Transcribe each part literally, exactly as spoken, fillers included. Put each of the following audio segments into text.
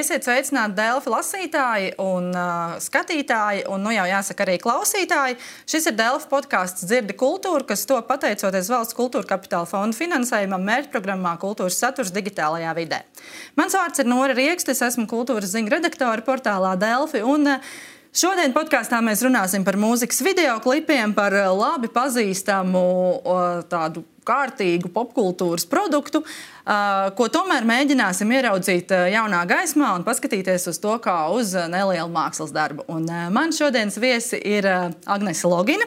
Esiet sveicināti Delfi lasītāji un uh, skatītāji, un nu jau jāsaka arī klausītāji. Šis ir Delfi podcasts Dzirdi kultūru, kas to pateicoties Valsts kultūra kapitāla fonda finansējumam mērķprogrammā Kultūras saturs digitālajā vidē. Mans vārds ir Nora Riekste, es esmu kultūras ziņu redaktora portālā Delfi, un uh, šodien podkāstā mēs runāsim par mūzikas videoklipiem, par labi pazīstamu uh, tādu kārtīgu popkultūras produktu, ko tomēr mēģināsim ieraudzīt jaunā gaismā un paskatīties uz to kā uz nelielu mākslas darbu. Un man šodienas viesi ir Agnese Logina,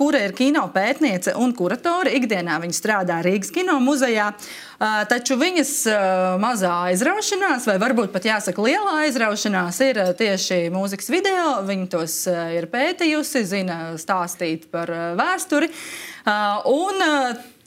kura ir kino pētniece un kuratore. Ikdienā viņa strādā Rīgas kino muzejā, taču viņas mazā aizraušanās, vai varbūt pat jāsaka lielā aizraušanās, ir tieši mūzikas video. Viņa tos ir pētījusi, zina stāstīt par vēsturi. Un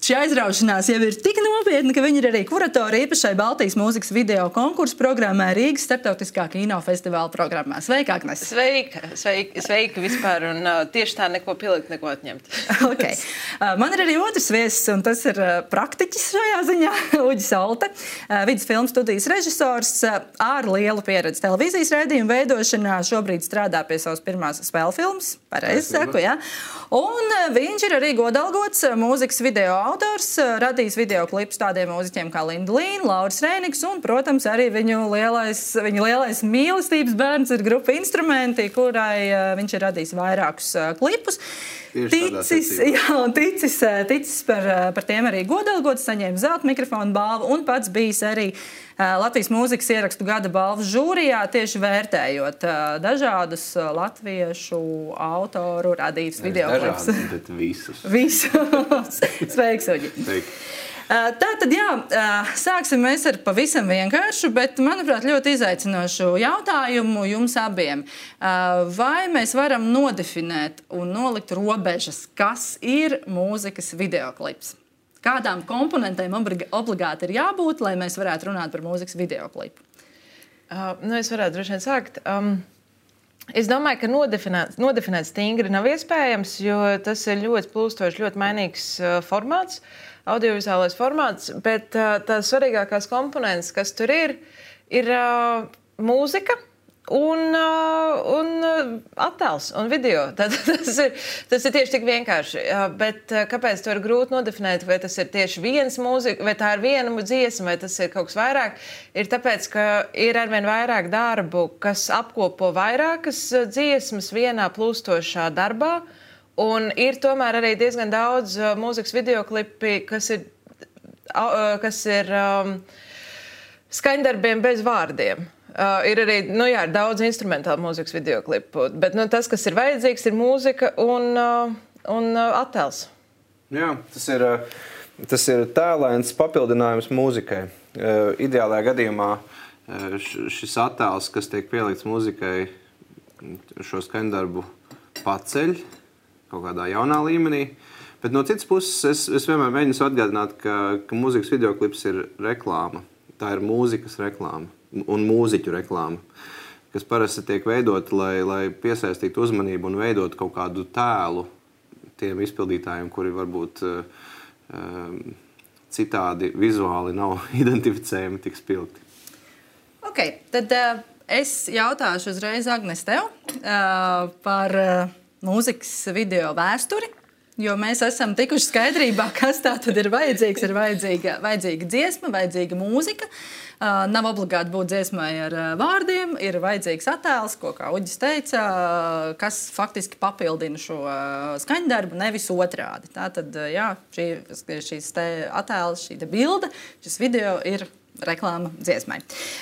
šī aizraušanās jau ir tik nopietna, ka viņa ir arī kuratore īpašai Baltijas mūzikas video konkursu programmai Rīgas starptautiskā kinofestivāla programmā. Sveika, Agnese! Sveika, sveika, sveika vispār, un uh, tieši tā neko pielikt, neko atņemt. Okay. Uh, man ir arī otrs viesis, un tas ir uh, praktiķis šajā ziņā, Uģis Olte, uh, vidus filmu studijas režisors uh, ar lielu pieredzi televīzijas raidījumu veidošanā. Šobrīd strādā pie savas pirmās spēļu filmas, pareizi saku, jā. Un uh, viņš ir arī godalgots uh, mūzikas video autors, radījis videoklipus tādiem mūziķiem kā Linda Līna, Lauris Rēniks un, protams, arī viņu lielais, viņu lielais mīlestības bērns ir grupa Instrumenti, kurai uh, viņš ir radījis vairākus uh, klipus. Ticis, jā, un ticis, ticis par, par tiem arī godalgots, saņēma zelta mikrofonu balvu un pats bijis arī uh, Latvijas mūzikas ierakstu gada balvas žūrijā, tieši vērtējot uh, dažādus uh, latviešu autoru radītus videoklipus. Dažādus, bet visus. Visus. Sveiks, Uģi. Sveiki. Tātad, jā, sāksim mēs ar pavisam vienkāršu, bet, manuprāt, ļoti izaicinošu jautājumu jums abiem. Vai mēs varam nodefinēt un nolikt robežas, kas ir mūzikas videoklips? Kādām komponentēm obligāti ir jābūt, lai mēs varētu runāt par mūzikas videoklipu? Uh, nu, es varētu droši vien sākt. Um, es domāju, ka nodefinēt, nodefinēt stingri nav iespējams, jo tas ir ļoti plūstošs, ļoti mainīgs uh, formāts. Audiovizuālais formāts, bet uh, tās svarīgākās komponentes, kas tur ir, ir uh, mūzika un, uh, un uh, attēls un video. Tad, tas, ir, tas ir tieši tik vienkārši. Uh, bet uh, kāpēc to ir grūti nodefinēt, vai tas ir tieši viens mūzika, vai tā ir viena dziesma, vai tas ir kaut kas vairāk, ir tāpēc, ka ir arvien vairāk darbu, kas apkopo vairākas dziesmas vienā plūstošā darbā. Un ir tomēr arī diezgan daudz uh, mūzikas videoklipi, kas ir, uh, kas ir um, skaņdarbiem bez vārdiem. Uh, ir arī nu, jā, daudz instrumentālu mūzikas videoklipu, bet nu, tas, kas ir vajadzīgs, ir mūzika un, uh, un uh, attēls. Jā, tas ir, tas ir tēlains papildinājums mūzikai. Uh, ideālajā gadījumā uh, šis attēls, kas tiek pielikts mūzikai, šo skaņdarbu paceļ kaut kādā jaunā līmenī. Bet no citas puses es, es vienmēr mēģinu atgādināt, ka, ka mūzikas videoklips ir reklāma. Tā ir mūzikas reklāma un mūziķu reklāma, kas parasti tiek veidot, lai, lai piesaistītu uzmanību un veidot kaut kādu tēlu tiem izpildītājiem, kuri varbūt um, citādi vizuāli nav identificējami tik spilgti. Ok, tad uh, es jautāšu uzreiz Agnes tev uh, par uh, mūzikas video vēsturi, jo mēs esam tikuši skaidrībā, kas tā tad ir vajadzīgs. Ir vajadzīga, vajadzīga dziesma, vajadzīga mūzika. Uh, nav obligāti būt dziesmai ar uh, vārdiem, ir vajadzīgs attēls, ko, kā Uģis teica, uh, kas faktiski papildina šo uh, skaņdarbu, nevis otrādi. Tātad, uh, jā, šī, šīs te attēls, šī te bilde, šis video ir reklāma dziesmai.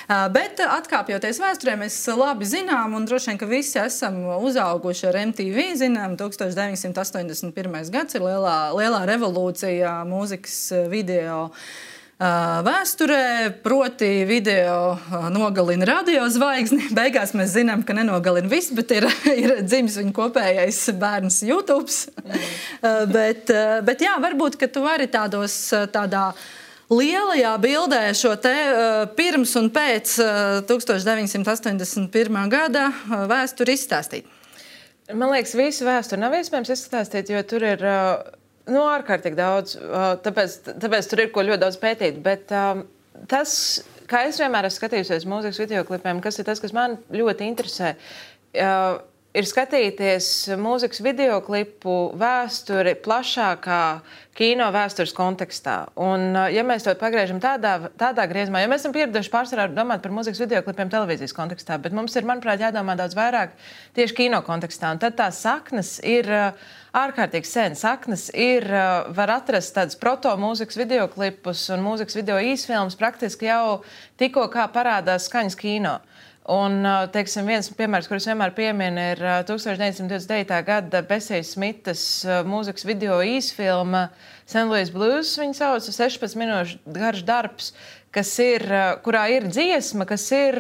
Uh, bet atkāpjoties vēsturē, mēs labi zinām, un droši vien, ka visi esam uzauguši ar M T V, zinām, tukstovš deviņsimt astoņdesmit pirmais gads ir lielā, lielā revolūcija mūzikas video uh, vēsturē, proti video uh, nogalina radiozvaigzni. Beigās mēs zinām, ka nenogalina viss, bet ir, ir dzimis viņa kopējais bērns YouTube. Mm. uh, bet, uh, bet jā, varbūt, ka tu vari tādos tādā lielajā bildē šo te uh, pirms un pēc uh, tukstovš deviņsimt astoņdesmit pirmā gada uh, vēsturi izstāstīt. Man liekas, visu vēsturi nav iespējams izstāstīt, jo tur ir uh, nu, ārkārtīgi daudz, uh, tāpēc, tāpēc tur ir ko ļoti daudz pētīt. Bet uh, tas, kā es vienmēr esmu skatījusies mūzikas videoklipiem, kas ir tas, kas man ļoti interesē, uh, ir skatīties mūzikas videoklipu vēsturi plašākā kino vēstures kontekstā. Un, ja mēs to pagriežam tādā, tādā griezumā, jo mēs esam pieraduši pārsvarā domāt par mūzikas videoklipiem televīzijas kontekstā, bet mums ir, manuprāt, jādomā daudz vairāk tieši kino kontekstā. Un tad tās saknes ir ārkārtīgi sen. Saknes ir, var atrast tādas proto-mūzikas videoklipus un mūzikas video īsfilmas praktiski jau tikko kā parādās skaņas kino. Un, teiksim, viens piemērs, kurus vienmēr pieminu, ir tūkstoš deviņsimt divdesmit devītā gada Besijas Smitas mūzikas video īsfilma Saint Louis Blues, viņa sauc, sešpadsmit minūšu garš darbs, kas ir, kurā ir dziesma, kas ir,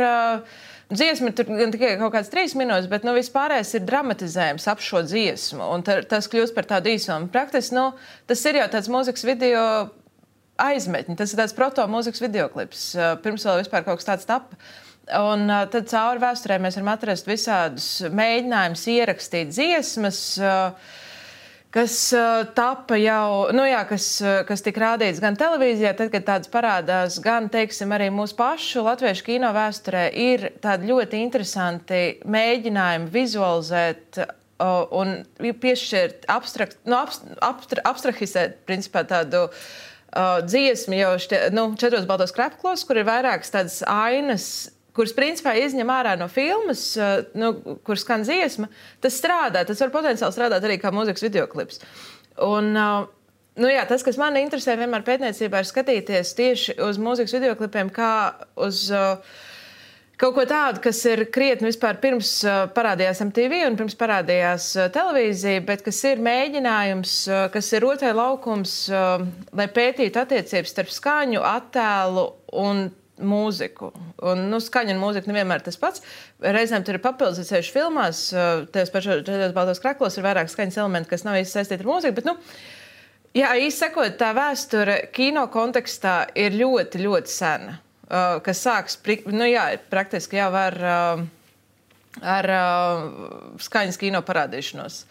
dziesma tur gan tikai kaut kāds trīs minūtes, bet, nu, vispārējais ir dramatizējums ap šo dziesmu, un tas kļūst par tādu īsfilmu. Praktiski, nu, tas ir jau tāds mūzikas video aizmetņi, tas ir tāds proto-mūzikas videoklips, pirms vēl vispār kaut kas tāds tapa. Un uh, tad cauri vēsturē mēs varam atrast visādus mēģinājumus ierakstīt dziesmas, uh, kas uh, tapa jau, nu jā, kas, uh, kas tika rādīts gan televīzijā, tad, kad tādas parādās, gan, teiksim, arī mūsu pašu latviešu kino vēsturē ir tādi ļoti interesanti mēģinājumi vizualizēt uh, un piešķirt abstrakt, nu, abstra, abstrahizēt, principā, tādu uh, dziesmu jau štie, nu, četros baltos krepklos, kur ir vairākas tādas ainas, kuras principā izņem ārā no filmas, nu, kur skan dziesma, tas strādā, tas var potenciāli strādāt arī kā mūzikas videoklips. Un, nu jā, tas, kas man interesē vienmēr pētniecībā, ir skatīties tieši uz mūzikas videoklipiem kā uz uh, kaut ko tādu, kas ir krietni vispār pirms uh, parādījās M T V un pirms parādījās uh, televīzija, bet kas ir mēģinājums, uh, kas ir otrai laukums, uh, lai pētītu attiecības starp skaņu, attēlu un mūziku. Un, nu, skaņa un mūzika nevienmēr tas pats. Reizēm tur ir papildus ceļš filmās, tajos pašos četros baltos kreklos ir vairāk skaņas elementi, kas nav īsti saistīti ar mūziku, bet, nu, jā, īsti sakot, tā vēsture kino kontekstā ir ļoti, ļoti sena, kas sāks, nu, jā, praktiski jau ar, ar skaņas kino parādīšanos.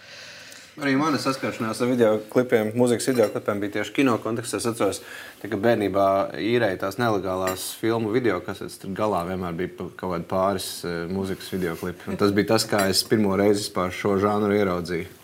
Arī mana saskaršanās ar videoklipiem, mūzikas videoklipiem bija tieši kino kontekstā. Es atceros, ka bērnībā īrēja tās nelegālās filmu videokasetes, tad galā vienmēr bija kaut kādi pāris mūzikas videoklipi. Un tas bija tas, kā es pirmo reizi par šo žanru ieraudzīju.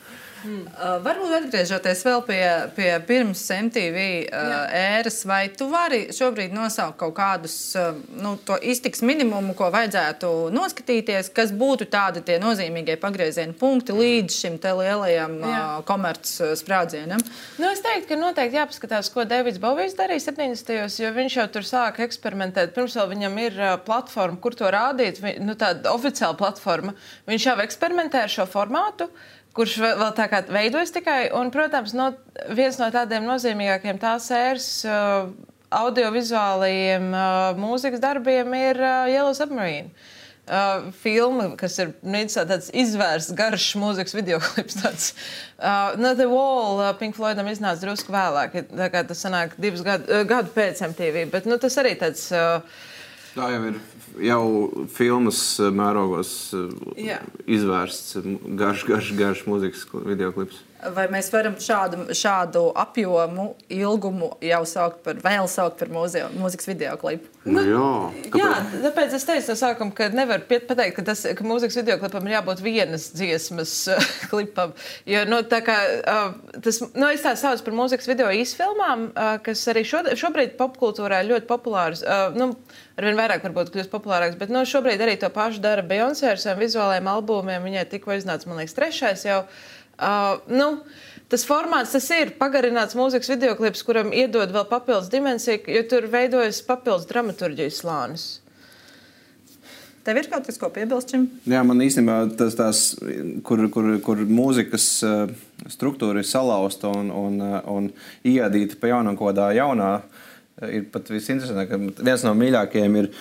Hmm. Uh, varbūt atgriežoties vēl pie, pie pirms M T V uh, ēras, vai tu vari šobrīd nosaukt kaut kādus uh, nu, to iztiks minimumu, ko vajadzētu noskatīties, kas būtu tādi tie nozīmīgie pagrieziena punkti līdz šim te lielajam uh, komerc sprādzienam? Nu, es teiktu, ka noteikti jāpaskatās, ko Davids Bovijs darīja septiņdesmitajos, jo viņš jau tur sāka eksperimentēt. Pirms vēl viņam ir uh, platforma, kur to rādīt, nu, tāda oficiāla platforma. Viņš jau eksperimentē ar šo formātu, kurš vēl tā kā veidojas tikai, un, protams, no, viens no tādiem nozīmīgākiem tās ēras uh, audiovizuālajiem uh, mūzikas darbiem ir uh, Yellow Submarine. Uh, filma, kas ir tāds izvērsts, garš mūzikas videoklips. Tāds. Uh, no The Wall uh, Pink Floydam iznāca drusku vēlāk, tā kā tas sanāk divus gadu, uh, gadu pēc M T V, bet nu, tas arī tāds... Uh, Tā jau ir jau filmas mērogos Jā. izvērsts garš, garš, garš mūzikas videoklips. Vai mēs varam šādu, šādu apjomu, ilgumu jau saukt par, vēl saukt par mūzio, mūzikas videoklipu? Nu, jā, jā, tāpēc es teicu no sākuma, ka nevar pateikt, ka, tas, ka mūzikas videoklipam ir jābūt vienas dziesmas uh, klipam. Jo, nu, tā kā, uh, tas, nu, es tā saucu par mūzikas video īsfilmām, uh, kas arī šo, šobrīd popkultūrā ir ļoti populārs. Uh, nu, arvien vairāk varbūt kļūst populārāks, bet nu, šobrīd arī to pašu dara Beyoncé ar saviem vizuālajiem albumiem. Viņai tikko iznāca, man liekas, trešais jau. Uh, nu, tas formāts, tas ir pagarināts mūzikas videoklips, kuram iedod vēl papildus dimensiju, jo tur veidojas papildus dramaturģijas slānis. Tev ir kaut kas, ko piebilst šim? Jā, man īstenībā tas tās, kur, kur, kur mūzikas uh, struktūra ir salauzta un, un, uh, un iedīta pa jaunam kodā jaunā, uh, ir pat visinteresantāk, ka viens no mīļākajiem ir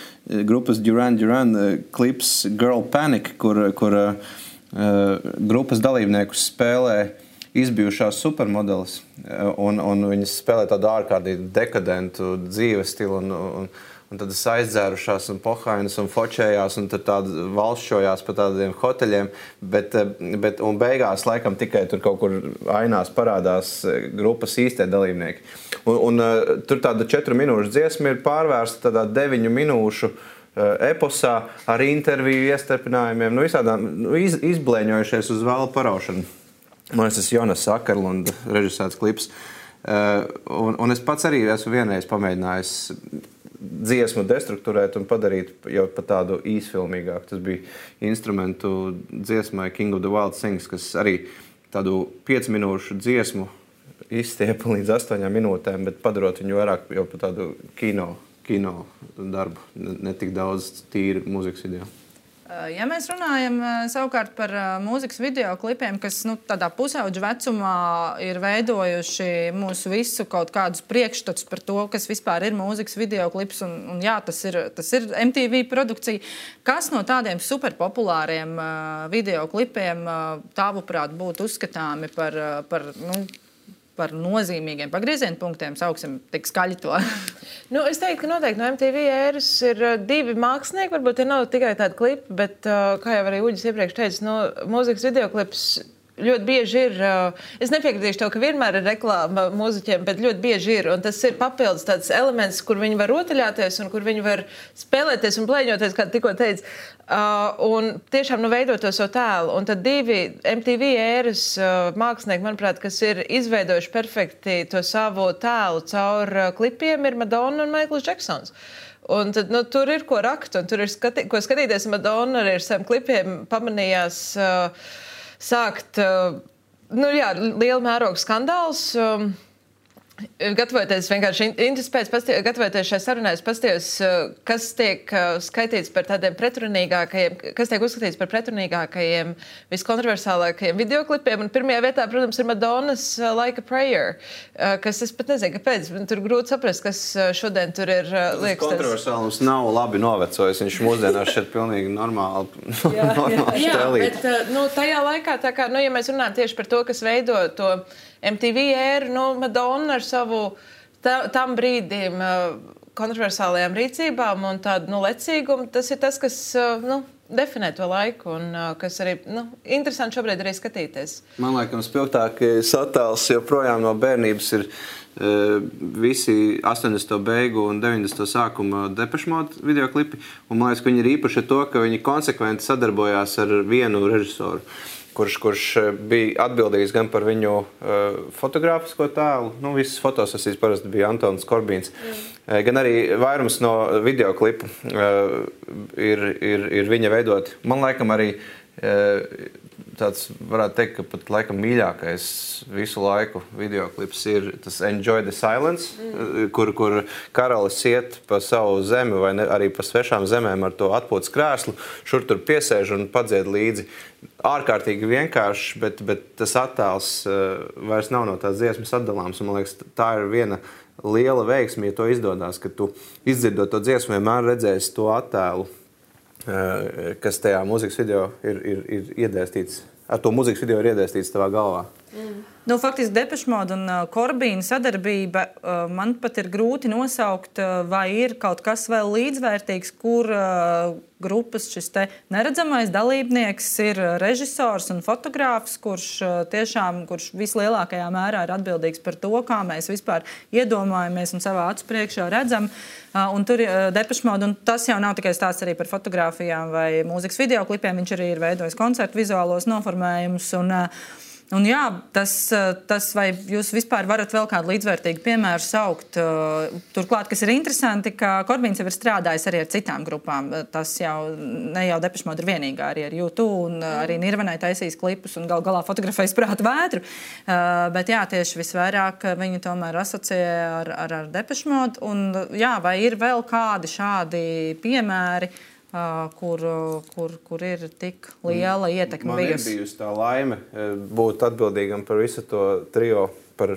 grupas Duran Duran uh, klips Girl Panic, kur, kur uh, Uh, grupas dalībniekus spēlē izbijušās supermodelis, uh, un, un viņas spēlē tādu ārkārtīgi dekadentu dzīves stilu, un, un, un tad aizdzērušās un pohainas un fočējās, un tad tādi valšķojās pa tādiem hoteļiem, bet, bet un beigās laikam tikai tur kaut kur ainās parādās grupas īstie dalībnieki. Un, un uh, tur tāda četru minūšu dziesma ir pārvērsta tādā deviņu minūšu uh, eposā ar interviju iestarpinājumiem, nu visādām nu, iz, izblēņojušies uz vēlu paraušanu. Man tas ir Jonas Akerlunda režisēts klips. Uh, un, un es pats arī esmu vienreiz pamēģinājis dziesmu destruktūrēt un padarīt jau pat tādu īsfilmīgāku. Tas bija instrumentu dziesmai King of the Wild Things, kas arī tādu piecu minūšu dziesmu izstiepa līdz astoņām minūtēm, bet padarot viņu vairāk jau par tādu kino, kino darbu, ne, ne tik daudz tīri mūzikas video. Ja mēs runājam savukārt par mūzikas video klipiem, kas nu, tādā pusauģa vecumā ir veidojuši mūsu visu kaut kādus priekšstats par to, kas vispār ir mūzikas video klips, un, un jā, tas ir, tas ir M T V produkcija. Kas no tādiem superpopulāriem video klipiem tavuprāt būtu uzskatāmi par, par nu, par nozīmīgiem pagrieziena punktiem, sauksim tik skaļi to? Nu, es teiktu, ka noteikti no M T V ēras ir divi mākslinieki, varbūt tie nav tikai tādi klipi, bet, kā jau arī Uģis iepriekš teica, no mūzikas videoklips ļoti bieži ir, es nepiekritīšu to, ka vienmēr ir reklāma mūziķiem, bet ļoti bieži ir, un tas ir papildus tāds elements, kur viņi var rotaļāties un kur viņi var spēlēties un plēņoties, kā tikko teica, uh, un tiešām nu veidot to savu tēlu. Un tad divi M T V ēras uh, mākslinieki, manuprāt, kas ir izveidojuši perfekti to savu tēlu caur uh, klipiem, ir Madonna un Maikls Džeksons. Un tad, nu, tur ir ko rakt, un tur ir skati, ko skatīties. Madonna arī ar saviem klipiem pamanījās uh, sākt, nu jā, liela mēroga skandāls. Gatavoties vienkārši interespēc, gatavoties šai sarunai, es pastījos, kas tiek skaitīts par tādiem pretrunīgākajiem, kas tiek uzskatīts par pretrunīgākajiem, viskontroversālākajiem videoklipiem. Un pirmajā vietā, protams, ir Madonnas Like a Prayer, kas es pat nezinu, kāpēc. Tur grūti saprast, kas šodien tur ir liekas. Tas kontroversālums nav labi novecojis. Viņš mūsdienās šeit pilnīgi normāli, jā, normāli jā, štelīt. jā, bet nu, tajā laikā, tā kā, nu, ja mēs runājam tieši par to, kas veido to M T V ēru, nu, Madonna ar savu tā, tam brīdim uh, kontroversālajām rīcībām un tādu nu, lecīgumu, tas ir tas, kas uh, nu, definē to laiku un uh, kas arī nu, interesanti šobrīd arī skatīties. Man liekas, spilgtākais attēls joprojām no bērnības ir uh, visi astoņdesmito beigu un deviņdesmito sākuma Depeche Mode videoklipi. Un man liekas, ka viņi ir īpaši to, ka viņi konsekventi sadarbojās ar vienu režisoru. Kurš, kurš bija atbildīgs gan par viņu uh, fotogrāfisko tēlu, nu, visas fotosesijas parasti bija Antons Korbīns, mm. gan arī vairums no videoklipu uh, ir, ir, ir viņa veidoti. Man laikam arī uh, tāds, varētu teikt, ka pat laikam mīļākais visu laiku videoklips ir tas Enjoy the Silence, mm. kur, kur karalis iet pa savu zemi vai ne, arī pa svešām zemēm ar to atpūtas krēslu, šur tur piesēž un padzied līdzi. Ārkārtīgi vienkārši, bet, bet tas attēls uh, vairs nav no tās dziesmas atdalāms. Un, man liekas, tā ir viena liela veiksme, ja to izdodās, ka tu izdzirdot to dziesmu, vienmēr redzēsi to attēlu, uh, kas tajā mūzikas video ir, ir, ir iedēstīts, ar to mūzikas video ir iedēstīts tavā galvā. Mm. Nu, faktiski Depeche Mode un uh, Korbīna sadarbība uh, man pat ir grūti nosaukt, uh, vai ir kaut kas vēl līdzvērtīgs, kur uh, grupas šis te neredzamais dalībnieks ir režisors un fotogrāfs, kurš uh, tiešām, kurš vislielākajā mērā ir atbildīgs par to, kā mēs vispār iedomājamies un savā acu priekšā redzam. Uh, un tur uh, Depeche Mode, un tas jau nav tikai stāsts arī par fotogrāfijām vai mūzikas videoklipiem, viņš arī ir veidojis koncertu vizuālos noformējumus un uh, Un jā, tas, tas, vai jūs vispār varat vēl kādu līdzvērtīgu piemēru saukt? Turklāt, kas ir interesanti, ka Korbīns jau ir strādājis arī ar citām grupām. Tas jau ne jau Depeche Mode ir vienīgā, arī ar U two un arī Nirvanai taisīs klipus un gal galā fotografējas Prāta vētru. Bet jā, tieši visvairāk viņi tomēr asociē ar, ar, ar Depeche Mode. Un jā, vai ir vēl kādi šādi piemēri, Uh, kur, kur, kur ir tik liela ietekme bijusi? Man ir bijusi tā laime būt atbildīgam par visu to trio, par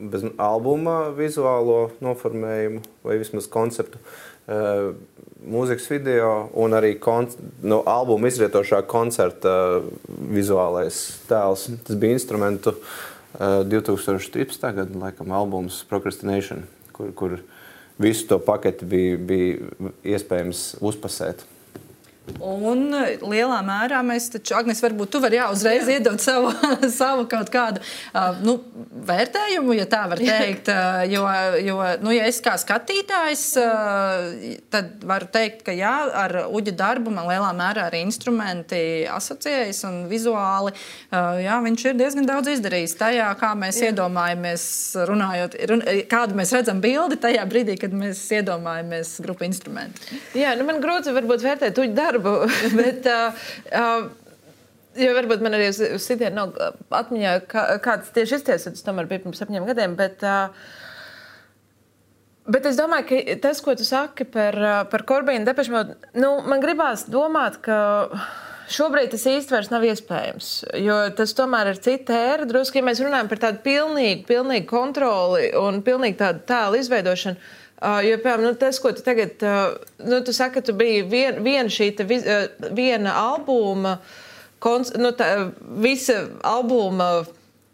bez albuma vizuālo noformējumu vai vismaz konceptu, uh, mūzikas video un arī kon, no albuma izrietošā koncerta vizuālais tēls. Tas bija instrumentu uh, divi tūkstoši trīspadsmitā gada, laikam, albums Procrastination, kur, kur visu to paketi bija, bija iespējams uzpasēt. Un lielā mērā mēs taču, Agnes, varbūt tu vari jā, uzreiz jā. iedot savu, savu kaut kādu uh, nu, vērtējumu, ja tā var teikt. Uh, jo, jo nu, ja es kā skatītājs, uh, tad varu teikt, ka jā, ar Uģa darbu man lielā mērā arī instrumenti asociējas un vizuāli. Uh, jā, viņš ir diezgan daudz izdarījis tajā, kā mēs jā. iedomājamies runājot, run, kādu mēs redzam bildi tajā brīdī, kad mēs iedomājamies grupu instrumentu. Jā, nu man grūti varbūt vērtēt Uģa darbu. Bet, uh, uh, jo varbūt man arī uz, uz sitienu nav atmiņā, kā, kāds tieši izties, tas tomēr bija pirms septiņiem gadiem, bet, uh, bet es domāju, ka tas, ko tu saki par, par Corbīnu Depeche Mode, nu, man gribās domāt, ka šobrīd tas īsti vairs nav iespējams, jo tas tomēr ir cita ēra, drusku, ja mēs runājam par tādu pilnīgu, pilnīgu kontroli un pilnīgu tādu tēlu izveidošanu. Uh, jo, piemēram, nu, tas, ko tu tagad, uh, nu, tu saki, ka tu biji vien, viena šī te, viz, uh, viena albuma, kons, nu, tā, visa albuma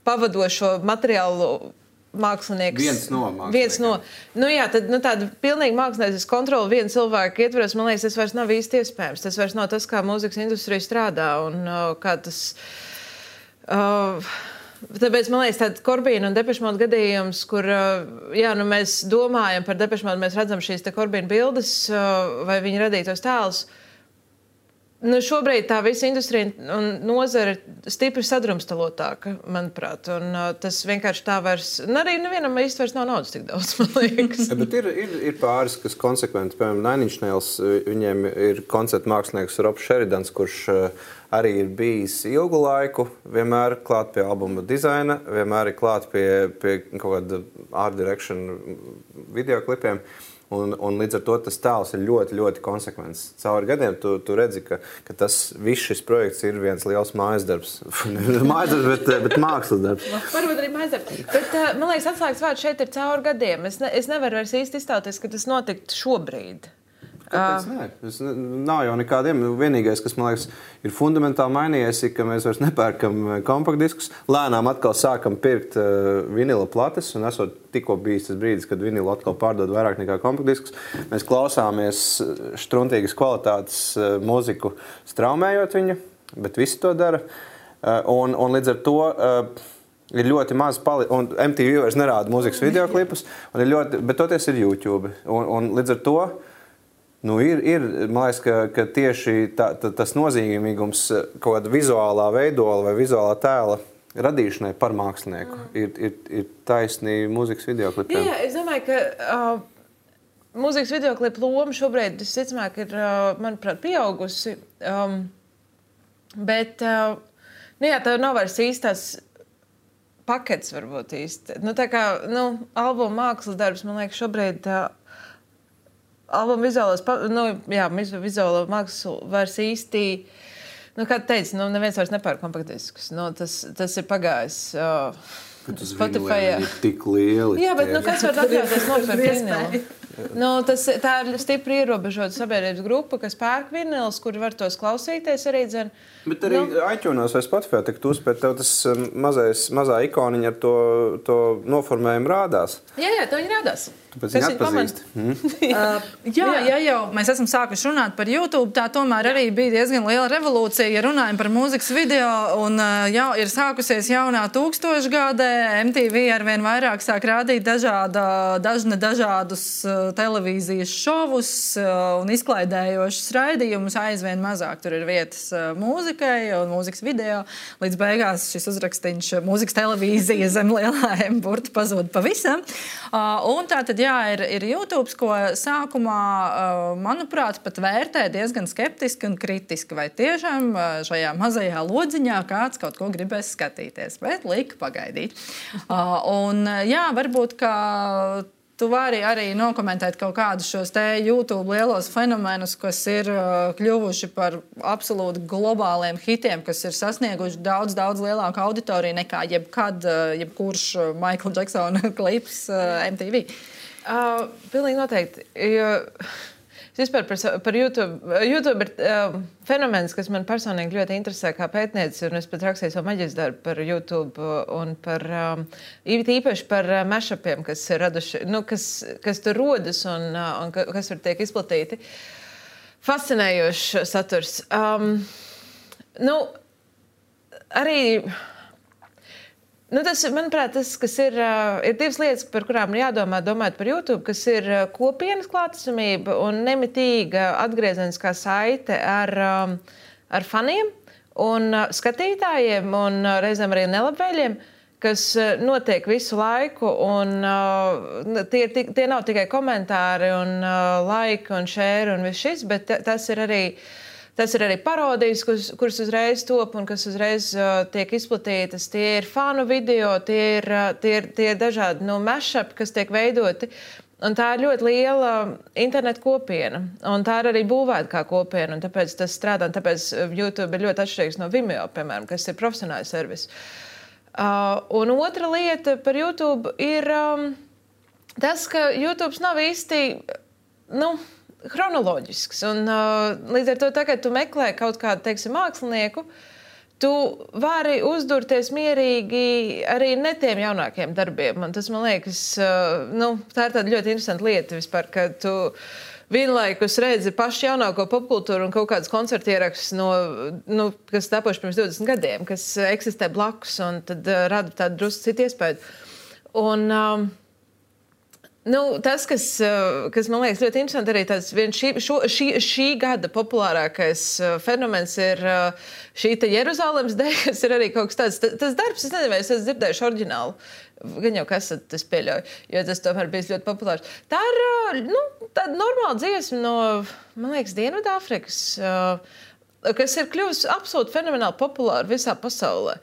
pavadošo materiālu mākslinieks. Viens no māksliniekiem. Viens no. Nu, jā, tad, nu, tāda pilnīgi mākslinieces kontrola viena cilvēka ietveros, man liekas, tas vairs nav īsti iespējams. Tas vairs nav tas, kā mūzikas industrija strādā un uh, kā tas... Uh, Tāpēc, man liekas, tāds Corbīna un Depeche Mode gadījums, kur jā, nu, mēs domājam par Depeche Mode, mēs redzam šīs te Corbīna bildes vai viņa radītos tēlus. Nu, šobrīd tā visa industrija un nozara ir stipri sadrumstalotāka, manuprāt. Un tas vienkārši tā vairs... Nu, arī nevienam īsti vairs nav naudas tik daudz, man liekas. Ja, bet ir, ir, ir pāris, kas konsekventi. Piemēram, Nine Inch Nails, viņiem ir koncerta mākslinieks Robs Sheridans, kurš arī ir bijis ilgu laiku, vienmēr klāt pie albuma dizaina, vienmēr ir klāt pie, pie kaut kāda art direction videoklipiem. Un, un līdz ar to tas tēls ir ļoti, ļoti konsekvents. Cauri gadiem tu, tu redzi, ka, ka tas viss šis projekts ir viens liels mājas darbs. Mājas darbs, bet, bet mākslas darbs. Varbūt arī mājas darbs. Bet, man liekas, atslēgas vārds šeit ir cauri gadiem. Es, ne, es nevaru vairs īsti izstāties, ka tas notiktu šobrīd. Kāpēc nē? Es, nav jau nekādiem. Vienīgais, kas, man liekas, ir fundamentāli mainījies, ir, ka mēs vairs nepērkam kompaktdiskus. Lēnām atkal sākam pirkt uh, vinila plates, un esot tikko bijis tas brīdis, kad vinilu atkal pārdod vairāk nekā kompaktdiskus. Mēs klausāmies štruntīgas kvalitātes uh, mūziku, straumējot viņu, bet visi to dara. Uh, un, un līdz ar to... Uh, ir ļoti maz pali... un M T V vairs nerāda mūzikas videoklipus, un ir ļoti... bet toties ir YouTube. Un, un līdz ar to nu, ir, ir, man liekas, ka, ka tieši tā, tā, tas nozīmīgums kaut kāda vizuālā veidola vai vizuālā tēla radīšanai par mākslinieku mm. ir, ir, ir taisnī mūzikas videoklipiem. Jā, es domāju, ka uh, mūzikas videoklipu loma šobrīd, visticamāk, ir, uh, manuprāt, pieaugusi. Um, bet, uh, nu jā, tā nav vairs īstās pakets, varbūt īsti. Nu, tā kā, nu, albuma mākslas darbs, man liekas, šobrīd... Uh, Albuma vizuālās, nu, jā, vizuālā māksla vairs īsti, nu, kā tu teici, nu, neviens vairs nepērk kompaktdiskus. Nu, tas, tas ir pagājis uh, Spotify. Ir tik lieli. Jā, bet, nu, kas var atļauties nopirkt vinilu? Nu, tas, tā ir stipri ierobežota sabiedrības grupa, kas pērk vinilus, kuri var tos klausīties arī, dzen. Bet arī nu, iTunes vai Spotify tik tu uzspēt, tev tas mazais, mazā ikoniņa ar to, to noformējumu rādās. Jā, jā, to viņi rādās. Tu pēc viņi atpazīst. Mm. uh, jā, ja jau mēs esam sākuši runāt par YouTube, tā tomēr arī bija diezgan liela revolūcija, ja runājam par mūzikas video, un uh, jau ir sākusies jaunā tūkstošgadē, M T V arvien vairāk sāk rādīt dažāda, dažne dažādus uh, televīzijas šovus uh, un izklaidējošus raidījumus, aizvien mazāk tur ir vietas uh, mūzikai un mūzikas video, līdz beigās šis uzrakstiņš mūzikas televīzija zem lielā M burta pazūd pavisam. Uh, un tā tad jā, ir, ir YouTube, ko sākumā, manuprāt, pat vērtē diezgan skeptiski un kritiski, vai tiešām šajā mazajā lodziņā kāds kaut ko gribēs skatīties, bet lika pagaidīt. Un jā, varbūt, ka tu vari arī nokomentēt kaut kādus šos te YouTube lielos fenomenus, kas ir kļuvuši par absolūti globāliem hitiem, kas ir sasnieguši daudz, daudz lielāku auditoriju nekā jebkad, jebkurš Michael Jacksona klips M T V. Uh, pilnīgi noteikti. Jo, vispār par, par YouTube. YouTube ir uh, fenomens, kas man personīgi ļoti interesē kā pētniece, un es pat rakstīju savu maģistra darbu par YouTube un par um, īpaši par uh, mashupiem, kas ir raduši, nu, kas, kas tur rodas un, uh, un kas tur tiek izplatīti. fascinējošs saturs. Um, nu, arī... Nu, tas, manuprāt, tas, kas ir, ir divas lietas, par kurām ir jādomā, domājot par YouTube, kas ir kopienas klātesamība un nemitīga atgriezeniskā saite ar, ar faniem un skatītājiem un reizēm arī nelabvēļiem, kas notiek visu laiku. Un, tie, tie nav tikai komentāri un laiki un share un viss šis, bet tas ir arī... Tas ir arī parodijas, kuras, kuras uzreiz top un kas uzreiz uh, tiek izplatītas. Tie ir fanu video, tie ir, uh, tie ir, tie ir dažādi nu, mashup, kas tiek veidoti. Un tā ir ļoti liela internetu kopiena. Un tā ir arī būvēta kā kopiena. Un tāpēc tas strādā. Un tāpēc YouTube ir ļoti atšķirīgs no Vimeo, piemēram, kas ir profesionāls servis. Uh, un otra lieta par YouTube ir um, tas, ka YouTube nav īsti... Nu, chronoloģisks. Un, uh, līdz ar to, tagad tu meklē kaut kādu, teiksim, mākslinieku, tu vari uzdurties mierīgi arī ne tiem jaunākiem darbiem. Un tas, man liekas, uh, nu, tā ir tāda ļoti interesanta lieta vispār, ka tu vienlaikus redzi pašu jaunāko popkultūru un kaut kādas koncertu ierakstus, no, nu, kas tapuši pirms divdesmit gadiem, kas eksistē blakus un tad uh, rada tādu drusku citu iespēju. Un... Um, Nu, tas, kas, kas man liekas ļoti interesanti, arī tāds viens šī, šo, šī, šī gada populārākais fenomens ir šī te Jeruzalemes dēļ, kas ir arī kaut kas tāds. Tas, tas darbs, es nezinu, vai es esmu dzirdējuši oriģinālu. Gan jau kas tas pieļauj, jo tas tomēr bijis ļoti populārs. Tā ir, nu, tāda normāla dziesma no, man liekas, Dienvidāfrikas, kas ir kļuvusi absolūti fenomenāli populāra visā pasaulē.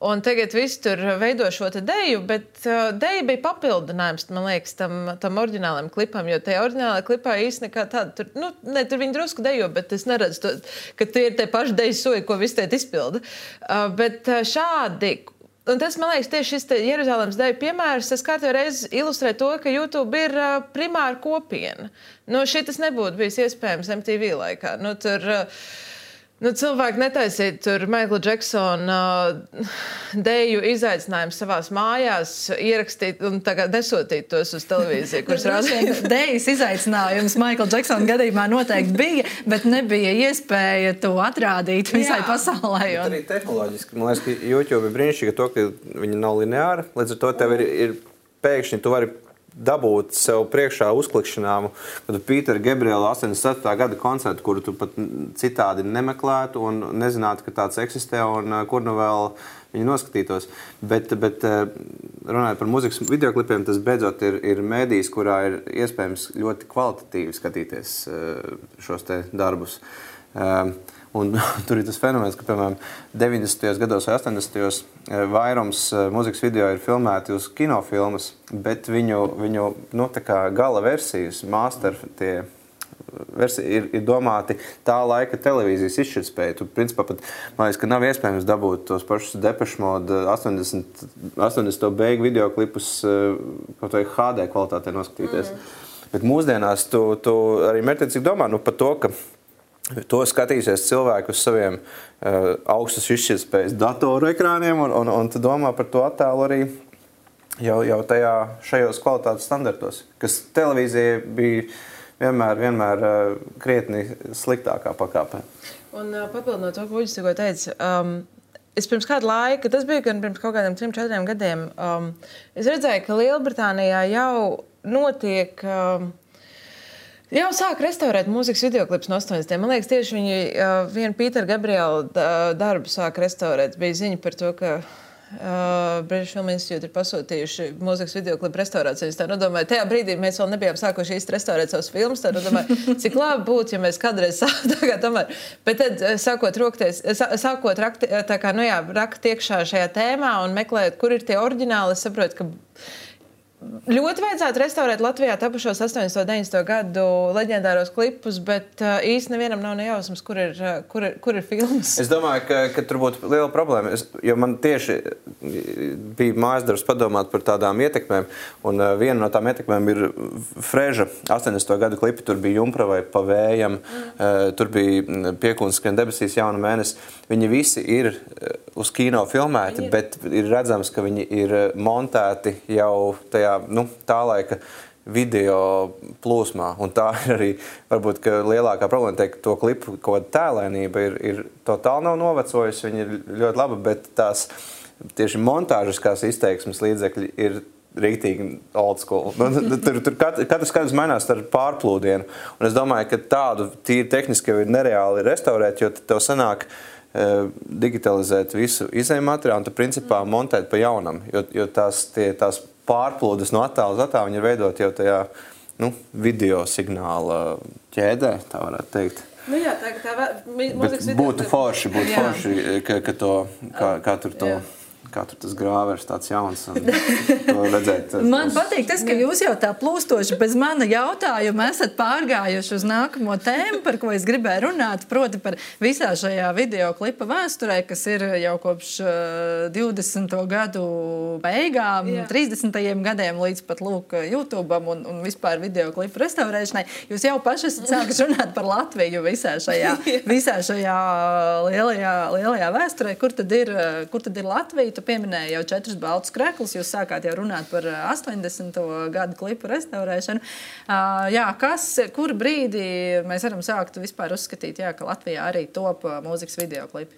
Un tagad viss tur veido šo te deju, bet uh, deja bija papildinājums, man liekas, tam, tam oriģinālajam klipam, jo tajā oriģinālajā klipā īsti nekā tāda, tur, nu, ne, tur viņi drusku dejo, bet es neredzu, to, ka tie ir tie paši deju soļi, ko visi tiet izpilda. Uh, bet uh, šādi, un tas, man liekas, tieši šis Jeruzalemes deju piemērs, tas kārtībā reiz ilustrē to, ka YouTube ir uh, primāra kopiena. Nu, šitas nebūtu bijis iespējams M T V laikā. Nu, tur... Uh, Nu, cilvēki netaisīja tur Michaela Jacksona uh, deju izaicinājumu savās mājās, ierakstīt un tagad nesūtīt tos uz televīziju, kuras rādīja. Dejas izaicinājums Michaela Jacksona gadījumā noteikti bija, bet nebija iespēja to atrādīt visai Jā. pasaulē. Un... Arī tehnoloģiski, man liekas, ka YouTube ir brīnišķīgi to, ka viņi nav lineāri, līdz ar to tev ir, ir pēkšņi, tu vari dabūt sev priekšā uzklikšanām, kad Pītera Gabriela astoņdesmit ceturtā gada koncertu, kuru tu pat citādi nemeklētu un nezinātu, ka tāds eksistē un kur nu vēl viņi noskatītos. Bet, bet runājot par mūzikas videoklipiem, tas beidzot ir, ir mēdījis, kurā ir iespējams ļoti kvalitatīvi skatīties šos te darbus. Un tur ir tas fenomens, ka, piemēram, deviņdesmitajos gados vai astoņdesmitajos vairums mūzikas video ir filmēti uz kinofilmas, bet viņu, viņu nu, tā kā gala versijas, master tie versija ir, ir domāti tā laika televīzijas izšķirtspēja. Tu, principā, pat, man liekas, ka nav iespējams dabūt tos pašus Depeche Mode astoņdesmito beigu videoklipus kaut vai H D kvalitātē noskatīties. Mm. Bet mūsdienās tu, tu arī mērķiecīgi domā nu, par to, ka to skatīsies cilvēki uz saviem uh, augstas izšķirtspējas datoru ekrāniem un, un, un tu domā par to attēlu arī jau, jau tajā šajos kvalitātes standartos, kas televīzija bija vienmēr, vienmēr uh, krietni sliktākā pakāpē. Un uh, papildinot to, ko Uģis tikko teica, um, es pirms kāda laika, tas bija gan pirms kaut kādiem trim, četriem gadiem, um, es redzēju, ka Lielbritānijā jau notiek... Um, Jau sāk restaurēt mūzikas videoklipus no astoņdesmitiem. Man liekas, tieši viņi uh, vienu Pītera Gabriela darbu sāk restaurēt. Bija ziņa par to, ka uh, British Film Institute ir pasūtījuši mūzikas videoklipu restaurācijas. Tā nodomāju, tajā brīdī mēs vēl nebijām sākuši īsti restaurēt savus filmus. Tā nodomāju, cik labi būtu, ja mēs kādreiz sāktu tomēr. Bet tad sākot rokties, sākot rakt, tā kā, nu jā, rakt iekšā šajā tēmā un meklēt, kur ir tie oriģināli, es saprotu, ka ļoti vajadzētu restaurēt Latvijā tapušos astoņdesmito, deviņdesmito gadu leģendāros klipus, bet uh, īsti nevienam nav nejausmas, kur ir, uh, kur ir, kur ir filmas. Es domāju, ka, ka tur būtu liela problēma, es, jo man tieši bija mājas darbs padomāt par tādām ietekmēm, un uh, viena no tām ietekmēm ir Freža astoņdesmito gadu klipi, tur bija Jumpra vai Pa vējam, mm. uh, tur bija Piekuns skrien debesīs, Jauna mēnesi. Viņi visi ir uh, uz kino filmēti, viņi... bet ir redzams, ka viņi ir montēti jau tajā nu, tā laika video plūsmā. Un tā ir arī, varbūt, ka lielākā problēma teikt, to klipu kaut kāda tēlēnība ir, ir totāli nav novecojusi, viņa ir ļoti laba, bet tās tieši montāžiskās izteiksmes līdzekļi ir rīktīgi old school. Tur, tur katrs katrs mainās ar pārplūdienu. Un es domāju, ka tādu tīri tehniski jau ir nereāli restaurēt, jo tev sanāk digitalizēt visu izēju materiālu un tu principā montēt pa jaunam, jo, jo tās, tie, tās pārplūdes no attāla uz attālu viņi ir veidot jau tajā nu, video signāla ķēdē, tā varētu teikt. Nu jā, tā, tā mūzikas video... Būtu forši, būtu jā. forši, ka, ka to, kā, kā tur to... Jā. Kā tur tas grāvers tāds jauns un to redzēt. Man patīk tas, ka jūs jau tā plūstoši bez mana jautājuma esat pārgājuši uz nākamo tēmu, par ko es gribēju runāt, proti par visā šajā video klipa vēsturē, kas ir jau kopš divdesmito gadu beigām, jā. trīsdesmitajiem gadiem līdz pat lūk YouTube'am un, un vispār video klipu restaurēšanai. Jūs jau paši esat sākuši runāt par Latviju visā šajā, visā šajā lielajā, lielajā vēsturē. Kur tad ir, kur tad ir Latvija? Tu pieminēji jau četrus baltus kreklus, jūs sākāt jau runāt par astoņdesmito gadu klipu restaurēšanu. Uh, jā, kas, kur brīdī mēs varam sākt vispār uzskatīt, jā, ka Latvijā arī top mūzikas video klipi?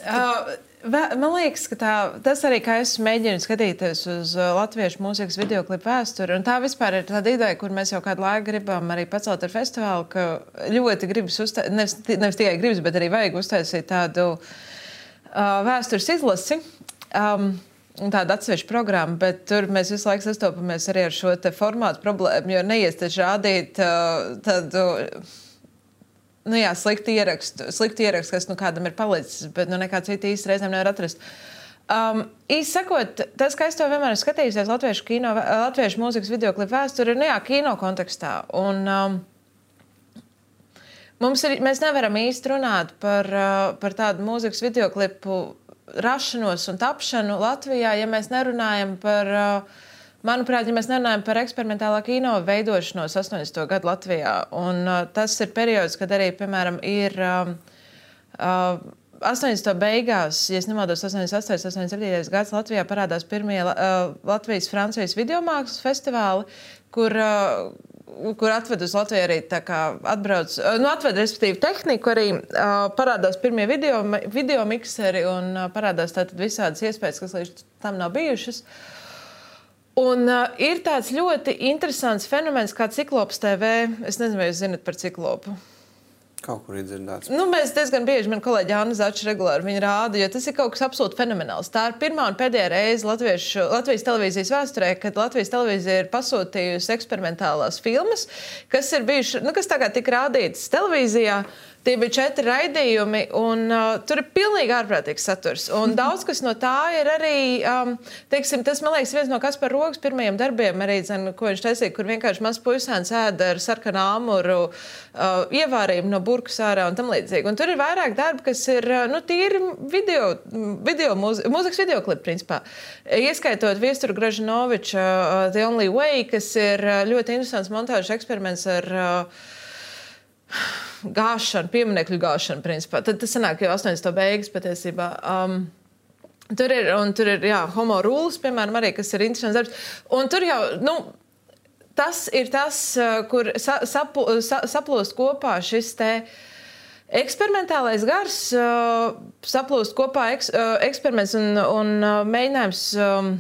Uh, man liekas, ka tā, tas arī, kā es mēģinu skatīties uz latviešu mūzikas videoklipu vēsturi, un tā vispār ir tāda ideja, kur mēs jau kādu laiku gribam arī pacelt ar festivālu, ka ļoti gribas uztaisīt, nevis, nevis tikai gribas, bet arī vajag uztaisīt tādu Uh, vēstures izlasi, um, tāda atsevišķa programma, bet tur mēs visu laiku sastopamies arī ar šo te formātu problēmu, jo neies taču rādīt uh, tādu, nu jā, sliktu ierakstu, sliktu ierakstu, kas nu kādam ir palicis, bet nu nekā cita īsti reizēm nevar atrast. Um, īsti sakot, tas, ka es to vienmēr skatījusies latviešu, kino, latviešu mūzikas videoklipu vēsturi, ir, nu jā, kino kontekstā. Un, um, Mums ir, mēs nevaram īsti runāt par, par tādu mūzikas videoklipu rašanos un tapšanu Latvijā, ja mēs nerunājam par, manuprāt, ja mēs nerunājam par eksperimentālā kino veidošanos astoņdesmito gadu Latvijā. Un tas ir periods, kad arī, piemēram, ir astoņdesmito beigās, ja es nemaldos, astoņdesmit astotais, astoņdesmit septītais gads Latvijā parādās pirmie Latvijas-Francijas videomākslas festivāli, kur kur atved uz Latviju arī tā kā atbrauc, nu atved, respektīvi, tehniku arī, uh, parādās pirmie video, video mikseri un uh, parādās tātad visādas iespējas, kas līdz tam nav bijušas. Un uh, ir tāds ļoti interesants fenomens kā Ciklops T V. Es nezinu, vai jūs zinat par Ciklopu. Kaut kur ir dzirdēts. Nu, mēs diezgan bieži, man kolēģi Anna Zača regulāri viņa rāda, jo tas ir kaut kas absolūti fenomenāls. Tā ir pirmā un pēdējā reize Latviešu, Latvijas televīzijas vēsturē, kad Latvijas televīzija ir pasūtījusi eksperimentālās filmas, kas ir bijuši, nu, kas tagad tika rādītas televīzijā. Tie bija četri raidījumi, un uh, tur ir pilnīgi ārprātīgs saturs. Un daudz kas no tā ir arī, um, teiksim, tas, man liekas, viens no Kaspara Rogas pirmajiem darbiem, arī, zin, ko viņš taisīja, kur vienkārši mazs puisēns ēda ar sarkanu āmuru uh, ievārījumu no burkas ārā un tam līdzīgi. Un tur ir vairāk darbi, kas ir, nu, tīri video, video mūzi, mūzikas videoklipi, principā. Ieskaitot Viesturu Gražinoviča uh, The Only Way, kas ir uh, ļoti interesants montāžas eksperiments ar uh, gāšanu, pieminekļu gāšanu, principā. Tad tas sanāk jau astoņdesmito beigas patiesībā. Um, tur ir, un tur ir, jā, Homo Rules, piemēram, arī, kas ir interesants darbs. Un tur jau, nu, tas ir tas, kur sa, sapu, sa, saplūst kopā šis te eksperimentālais gars, uh, saplūst kopā eks, uh, eksperiments un, un uh, mēģinājums um,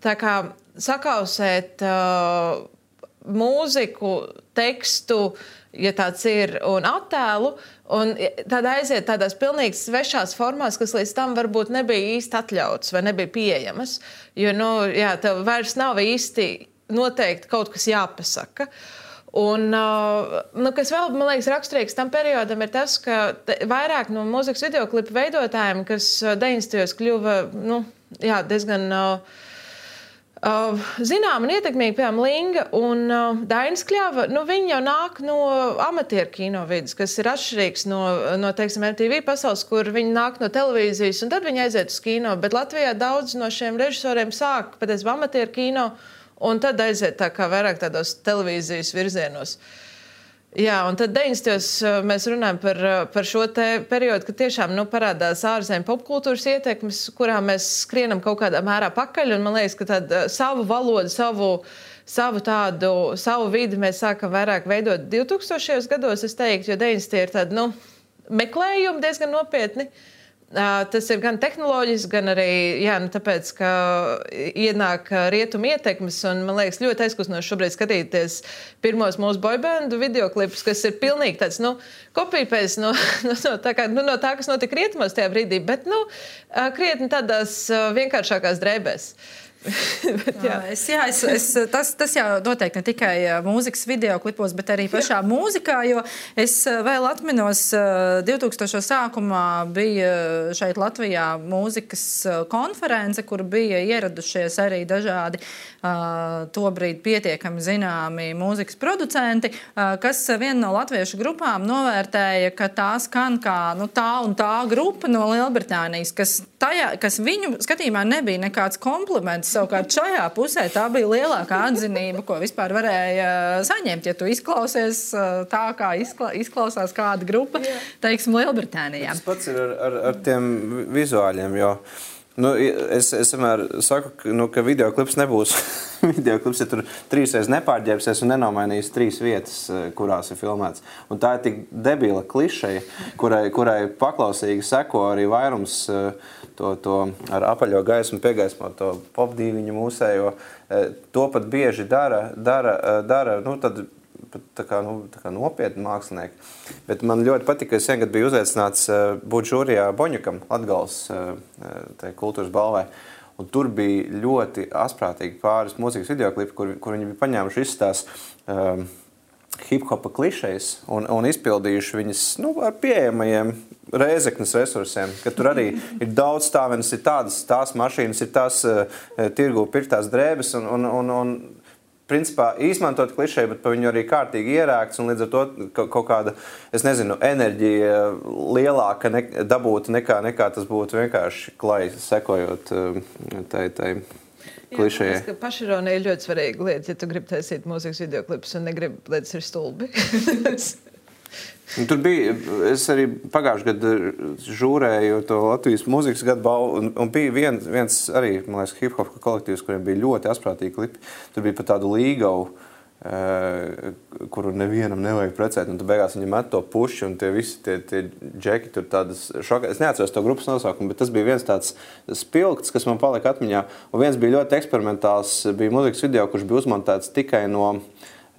tā kā sakausēt uh, mūziku, tekstu, ja tāds ir, un attēlu, un tad aiziet tādās pilnīgi svešās formās, kas līdz tam varbūt nebija īsti atļauts vai nebija pieejamas, jo, nu, jā, tev vairs nav īsti noteikti kaut kas jāpasaka. Un, nu, kas vēl, man liekas, raksturīgs tam periodam ir tas, ka vairāk no mūzikas videoklipu veidotājiem, kas deviņdesmitajos kļuva, nu, jā, diezgan Uh, zinām un ietekmīgi, piemēram, Linga un uh, Dainis Kļava, nu, viņi jau nāk no amatieru kino vidas, kas ir atšķirīgs no, no, teiksim, M T V pasaules, kur viņi nāk no televīzijas, un tad viņi aiziet uz kino. Bet Latvijā daudz no šiem režisoriem sāk patiesībā amatieru kino, un tad aiziet tā kā vairāk tādos televīzijas virzienos. Jā, un tad deviņdesmitajos mēs runājam par, par šo te periodu, kad tiešām nu, parādās ārzemju popkultūras ietekmes, kurā mēs skrienam kaut kādā mērā pakaļ, un man liekas, ka tādu savu valodu, savu, savu tādu, savu vidi mēs sākam vairāk veidot divtūkstošajos gados, es teiktu, jo deviņdesmitie ir tādi, nu, meklējumi diezgan nopietni. Tas ir gan tehnoloģiski, gan arī, jā, nu, tāpēc, ka ienāk rietumu ietekmes, un man liekas ļoti aizkustinoši šobrīd skatīties pirmos mūsu boybandu videoklipus, kas ir pilnīgi tāds, nu, kopīpēc no, no, no, tā kā, nu, no tā, kas notika rietumos tajā brīdī, bet, nu, krietni tādās vienkāršākās drēbēs. bet, jā. Es, jā, es, es, tas, tas jau noteikti ne tikai mūzikas videoklipos, bet arī pašā jā. mūzikā, jo es vēl atminos divtūkstošo sākumā bija šeit Latvijā mūzikas konference, kur bija ieradušies arī dažādi uh, tobrīd pietiekami zināmi mūzikas producenti, uh, kas viena no latviešu grupām novērtēja, ka tā skan kā nu, tā un tā grupa no Lielbritānijas, kas, tajā, kas viņu skatījumā nebija nekāds kompliments. Savukārt šajā pusē tā bija lielākā atzinība, ko vispār varēja saņemt, ja tu izklausies tā, kā izkla, izklausās kāda grupa, teiksim, Lielbritānijā. Tas pats ir ar, ar, ar tiem vizuāļiem, jo nu, es, es vienmēr saku, ka, nu, ka videoklips nebūs videoklips, ja tur trīsreiz nepārģērbsies un nenomainīs trīs vietas, kurās ir filmēts. Un tā ir tik debila klišeja, kurai, kurai paklausīgi seko arī vairums to, to ar apaļo gaismu piegaismo, to popdīviņu mūsējo. To pat bieži dara, dara, dara nu, tad tā kā, nu, tā kā nopietni mākslinieki. Bet man ļoti patika, ka es vienkārt biju uzaicināts būt žūrijā Boņukam, Latgales kultūras balvai. Un tur bija ļoti asprātīgi pāris mūzikas videoklipi, kur, kur viņi bija paņēmuši visas tās um, hip-hopa klišejas un, un izpildījuši viņas nu, ar pieejamajiem Rēzeknes resursiem, ka tur arī ir daudz stāvenes, ir tādas tās mašīnas, ir tās uh, tirgu pirktās drēbes un, un, un, un principā izmantot klišeju, bet pa viņu arī kārtīgi ierēkts un līdz ar to kaut kāda, es nezinu, enerģija lielāka ne, dabūta nekā, nekā tas būtu vienkārši klai sekojot tai, tai klišejai. Jā, pašironija ir ļoti svarīga lieta, ja tu gribi taisīt mūzikas videoklipus un negribi, lai tas ir stulbi. Tur bija, es arī pagājuši gadu žūrēju to Latvijas mūzikas gadu balvu, un, un bija viens, viens arī, man liekas, hip-hop kolektīvs, kuriem bija ļoti asprātīgi klipi. Tur bija pat tādu līgavu, e, kuru nevienam nevajag precēt, un tu beigās viņi met to puši, un tie visi tie, tie džeki tur tādas šokā. Es neatceros to grupas nosaukumu, bet tas bija viens tāds spilgts, kas man palika atmiņā, un viens bija ļoti eksperimentāls, bija mūzikas video, kurš bija uzmontēts tikai no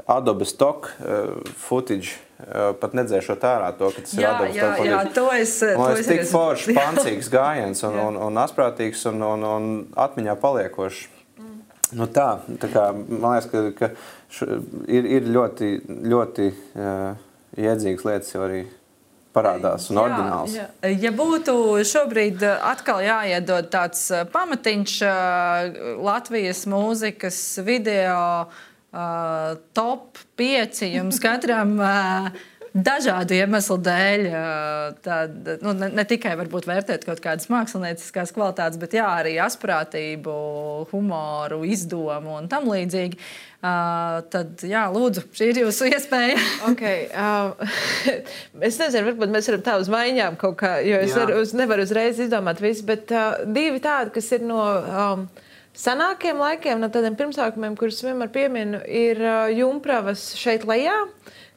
Adobe Stock uh, footage, uh, pat nedzēšot ārā to, ka tas jā, ir Adobe jā, Stock footage. Jā, to es... Man to liekas, tik foršs, pancīgs gājiens un, un, un asprātīgs un, un, un atmiņā paliekošs. Mm. Nu tā, tā kā, man liekas, ka, ka š, ir, ir ļoti, ļoti uh, iedzīgas lietas jau arī parādās un oriģināls. Jā, jā. Ja būtu šobrīd atkal jāiedod tāds pamatiņš Latvijas mūzikas video Uh, top pieci jums katram uh, dažādu iemeslu dēļ. Uh, tad, nu, ne, ne tikai varbūt vērtēt kaut kādas mākslinieckās kvalitātes, bet jā, arī asprātību, humoru, izdomu un tam līdzīgi. Uh, tad, jā, lūdzu, šī ir jūsu iespēja. okay, uh, es nezinu, varbūt mēs varam tā uz maiņām kaut kā, jo es var, uz, nevaru uzreiz izdomāt visu, bet uh, divi tādi, kas ir no... Um, senākiem laikiem, no tādiem pirmsākumiem, kurus vienmēr pieminu, ir uh, Jumpravas šeit lejā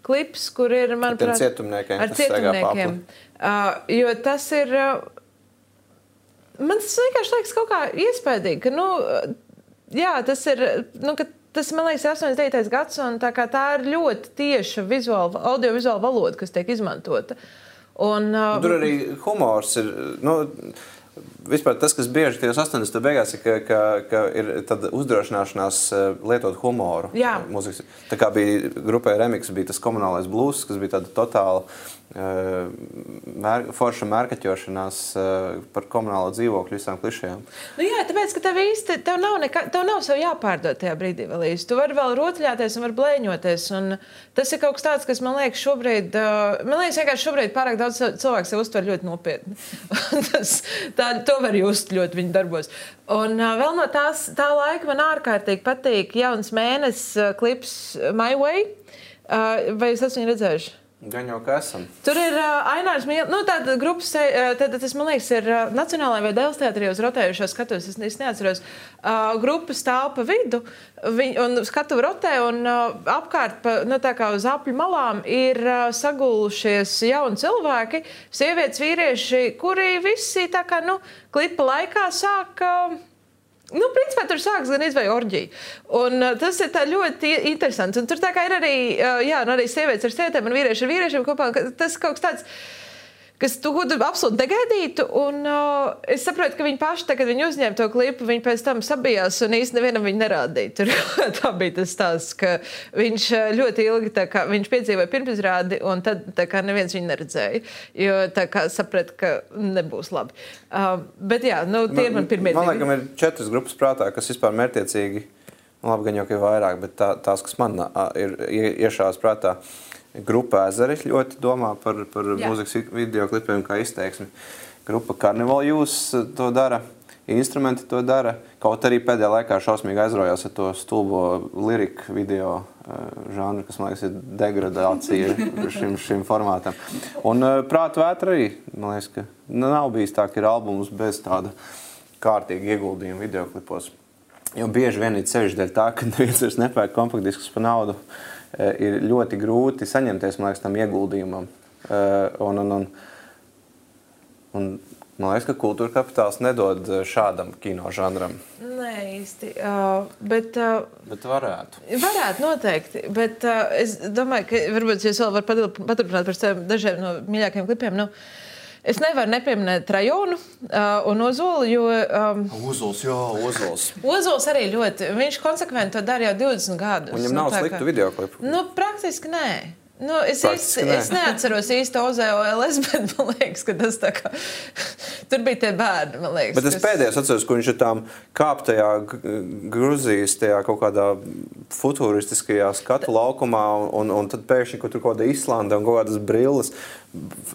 klips, kur ir, manuprāt, ar cietumniekiem. Ar cietumniekiem. Uh, jo tas ir, uh, man tas vienkārši liekas kaut kā iespaidīgi, ka, nu, jā, tas ir, nu, ka tas, man liekas, astoņdesmit devītais gads, un tā kā tā ir ļoti tieša vizuāla, audiovizuāla valoda, kas tiek izmantota. Un, uh, tur arī humors ir, nu, vispār tas, kas bieži tajos astoņdesmitajos beigās ir, ka, ka, ka ir tāda uzdrošināšanās lietot humoru. Jā. Mūzikas. Tā kā bija grupai Remix, bija tas komunālais blues, kas bija tāda totāla uh, mēr, forša mērkaķošanās uh, par komunālo dzīvokļu visām klišajām. Nu jā, tāpēc, ka tev īsti, tev nav, nekā, tev nav sev jāpārdot tajā brīdī vēl īsti. Tu vari vēl rotaļāties un var blēņoties. Un tas ir kaut kas tāds, kas man liekas šobrīd, uh, man liekas vienkārši šobrīd pārāk daudz cilvēku sev uztver ļoti nopietni. tas, tā, to var just ļoti viņa darbos. Un uh, vēl no tās, tā laika man ārkārtīgi patīk jauns mēnesis uh, klips My Way. Vai jūs esat viņu redzējuši? Gan jau, ka esam. Tur ir uh, Ainārs Mīl, nu tāda grupas, uh, tad tas, man liekas, ir uh, Nacionālajā vai Dēls teātrī uz rotējušo skatos, es, es neatceros. Uh, grupa stāv pa vidu, viņ, un skatu rotē, un uh, apkārt, pa, nu tā kā uz apļu malām, ir uh, sagulušies jauni cilvēki, sievietes, vīrieši, kuri visi tā kā, nu, klipa laikā sāk... Uh, Nu, principā tur sāks gan izvēju orģiju. Un uh, tas ir tā ļoti interesants. Un tur tā kā ir arī, uh, jā, un arī sievietes ar sievietēm un vīrieši ar vīriešiem kopā. Tas kaut kas tāds, kas tu, tu absolūti negaidītu. Un uh, es saprotu, ka viņi paši, tā, kad viņi uzņēma to klipu, viņi pēc tam sabijās un īsti nevienam viņu nerādīja. Tur tā bija tas stāsts, ka viņš ļoti ilgi, tā kā viņš piedzīvoja pirmizrādi, un tad tā kā neviens viņu neredzēja. Jo tā kā saprata, ka nebūs labi. Uh, bet jā, nu, tie ir man pirmie. Man liekas, ir četras grupas prātā, kas vispār mērķiecīgi, labi, gan jau, ka ir vairāk, bet tā, tās, kas man ir iešās prātā, Grupa Ezeri ļoti domā par, par mūzikas videoklipiem kā izteiksmi. Grupa Carnival Youth to dara, instrumenti to dara. Kaut arī pēdējā laikā šausmīgi aizraujās ar to stulbo liriku video žanru, kas, man liekas, ir degradācija šim, šim formātam. Un Prāta vētra arī, man liekas, ka nav bijis tā, ka ir albums bez tāda kārtīga ieguldījuma videoklipos. Jo bieži vien ir sevišķi dēļ tā, ka neviens vairs nepērk kompaktdiskus par naudu. Ir ļoti grūti saņemties, man liekas, tam ieguldījumam. Un, un, un, un man liekas, ka kultūra kapitāls nedod šādam kino žanram. Nē, īsti. Uh, bet, uh, bet varētu. Varētu noteikti. Bet uh, es domāju, ka varbūt jūs vēl varat paturpināt par saviem dažiem no mīļākajiem klipiem. Nu, es nevaru nepieminēt Rajonu uh, un Ozolu, jo... Um, Ozols, jā, Ozols. Ozols arī ļoti. Viņš konsekventi to dara jau divdesmit gadus. Viņam nav nu, sliktu kā... videoklipu? Nu, praktiski nē. Nu, es, īsti, es neatceros īsti O Z O L S, bet man liekas, ka tas tā kā... Tur bija tie bērni, man liekas. Bet es kas... pēdējais atceros, ka viņš ir tām kāptajā Gruzijas, tajā kaut kādā futuristiskajā skatu laukumā, un, un tad pēkšņi, kur tur kaut kāda Islanda un kaut kādas brilles,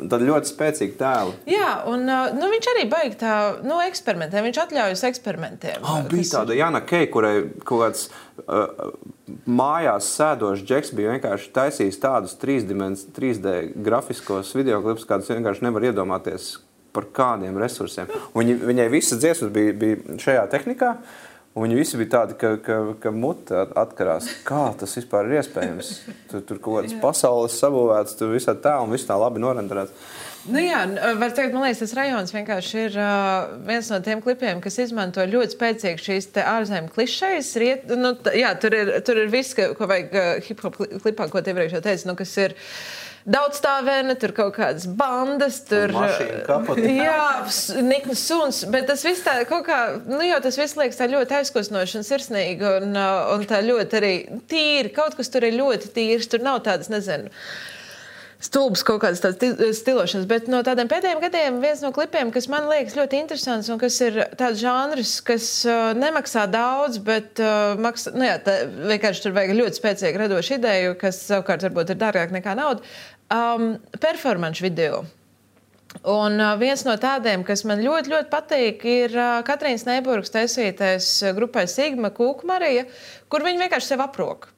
tad ļoti spēcīgi tēli. Jā, un nu, viņš arī baigi tā, nu, eksperimentē, viņš atļaujas eksperimentiem. Oh, bija kas... tāda Jana Kei, kurai kaut kāds uh, mājās sēdošs džeks bija vienkārši taisījis tādus trīs D grafiskos videoklipus, kādus vienkārši nevar iedomāties par kādiem resursiem. Viņi, viņai visas dziesmas bija, bija šajā tehnikā, un viņi visi bija tādi, ka, ka, ka muta atkarās. Kā tas vispār ir iespējams? Tur, tur kaut kādas pasaules sabūvētas, tur visā tā un viss tā labi norenderēts. Nu jā, var teikt, man liekas, tas rajons vienkārši ir uh, viens no tiem klipiem, kas izmanto ļoti spēcīgi šīs te ārzemju klišejas. Riet, nu, t, jā, tur ir, tur ir viss, ko vajag uh, hip-hop klipā, ko tie iepriekš jau teica, nu, kas ir daudzstāvēne, tur kaut kādas bandas, tur... Mašīna kapota. Jā, niknas suns, bet tas viss tā kaut kā, nu jau tas viss liekas tā ļoti aizkustinoši un sirsnīgi un, un tā ļoti arī tīri, kaut kas tur ir ļoti tīrs, tur nav tādas, nezinu, stulbas kaut kādas tādas stilošanas, bet no tādiem pēdējiem gadiem viens no klipiem, kas man liekas ļoti interesants un kas ir tāds žanrs, kas uh, nemaksā daudz, bet uh, maksā, nu jā, tā, vienkārši tur vajag ļoti spēcīgi radošu ideju, kas savukārt varbūt ir dārgāk nekā nauda, um, performance video. Un uh, viens no tādiem, kas man ļoti, ļoti patīk, ir uh, Katrīnas Neiburgas taisītais grupai Sigma Kūku Marija, kur viņi vienkārši sev aproka.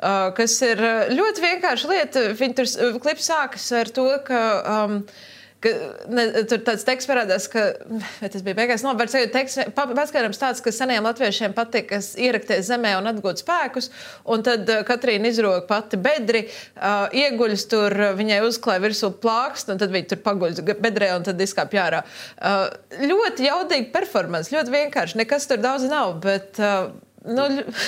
Uh, kas ir ļoti vienkārša lieta. Viņa tur klips sākas ar to, ka, um, ka ne, tur tāds teksts parādās, ka, vai tas bija beigās, no, var sajūt teksts, paskaidrojums tāds, ka seniem latviešiem patīk ierakties zemē un atgūt spēkus, un tad uh, Katrīna izroka pati bedri, uh, ieguļas tur, viņai uzklāja virsū plākst, un tad viņa tur paguļas bedrē, un tad izkāpj ārā. Uh, ļoti jaudīgi performance, ļoti vienkārši, nekas tur daudz nav, bet... Uh, Nu,